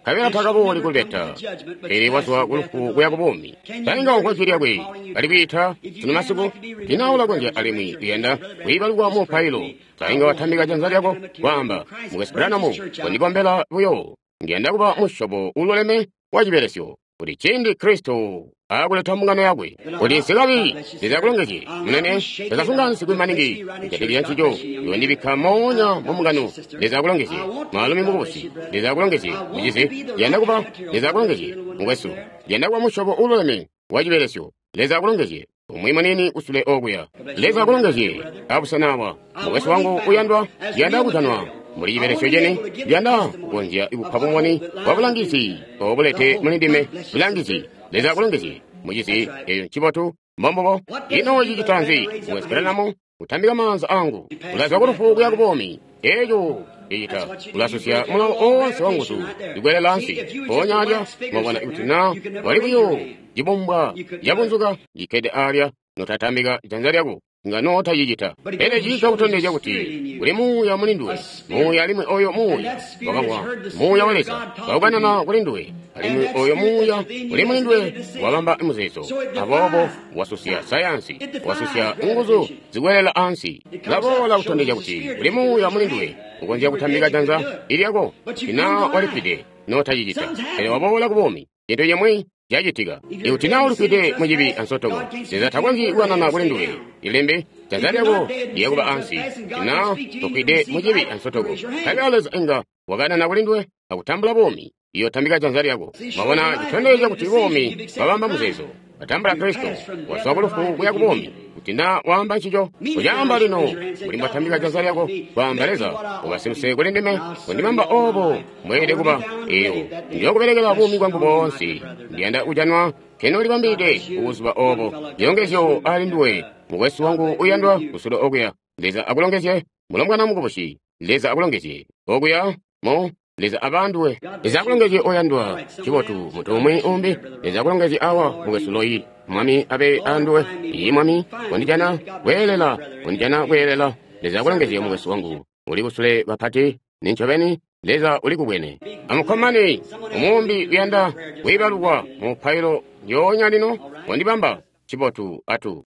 nkabela takabooli kulubeta, pele wazwa kulufu kuya kubuumi. Tainga umvwa jwi lyakwe kali kwiita sunu masiku? Tina ulakonzya alimwi uyanda kwiibalukwa mu mupailo, tainga watambika janza lyako kwaamba, Mukwesu Branham, kondikombela buyo, ndiyanda kuba musyobo ululeme wa cibelesyo, kuti ciindi Kristo akuleta mbungano yakwe, kuti nsikabi. Leza akulongezye, munene. Takasunga nsikwi maningi kujatikizya ncico. Iwe ndibikka moonya mu mbungano. Leza akulongezye, mwaalumi mukubusi. Leza akulongezye, mucizi. Ndiyanda kuba. Leza akulongezye, mukwesu. Ndiyanda kuba musyobo ululeme wa cibelesyo. Leza akulongezye, umwi munini kusule okuya. Leza akulongezye abusena awa, mukwesu wangu uyandwa. Ndiyanda kujanwa muli cibelesyo cene. Ndiyanda kukonzya kupa bumboni bwa bulangizi obulete muli ndime bulangizi. Leza akulongezye, mucizi. Eyo ncibotu, mbombubo. Ino cicita nzi, Mukwesu Branham? Kutambika maanza angu, ulazwa kulufu kuya kubuumi. Eco cicita ulasusya mulawo oonse wa nguzu zikwelela ansi mpoonya alya. Mwabona, ikuti na wali buyo cibumbwa cabunzuka cikkede alya, notatambika janza lyako, nga notacicita. Pele ciika kutondezya kuti kuli muuya muli nduwe, muuya, alimwi oyo muuya wakamwa muuya wa Leza waukanana kuli nduwe, alimwi oyo muuya uli muli nduwe wabamba muzeezo. Aboobo wasusya sayansi, wasusya nguzu zikwelela ansi. Laboola kutondezya kuti kuli muuya muli nduwe ukonzya kutambika janza ilyako. Tina walifwide, notacicita, pele waboola kubuumi, cintu cimwi cacitika. Ikuti naa ulifwide mucibi ansotoko, Leza takonzyi kukanana kuli nduwe ilembe janza lyako liyakuba ansi. Tina tofwide mucibi ansotoko, nkabela Leza inga wakanana kuli nduwe akutambula buumi, iyotambika janza lyako. Mwabona, citondezya kuti buumi bwabamba muzeezo. Watambula Kristo, wazwa kulufu kuya kubuumi. Kuti naa waamba ncico, ucaamba lino mbuli mbwatambika janza lyako, kwaamba, Leza ubasiluse kuli ndime, kundibamba obo mweelede kuba. Eyo ndiyokubelekela buumi bwangu boonse. Ndiyanda kujanwa kenolibambide kubuzuba obo. Zilongezyo ali nduwe, mukwesu wangu uyandwa kusule okuya. Leza akulongezye, mulombwana mukubusi. Leza akulongezye okuya mu. Leza abanduwe. Leza akulongezye oyandwa. Cibotu, muntu umwi umbi. Leza akulongezye awa, mukwesu Loyi. Mwami abe anduwe. Iyi, Mwami, kondijana kweelela, kondijana kweelela. Leza akulongezye, mukwesu wangu uli kusule kapati. Nincobeni Leza uli kubwene. Amukkomane. Umuumbi uyanda kwiibalukwa mu mupailo njoonya lino, kondibamba. Cibotu, atu.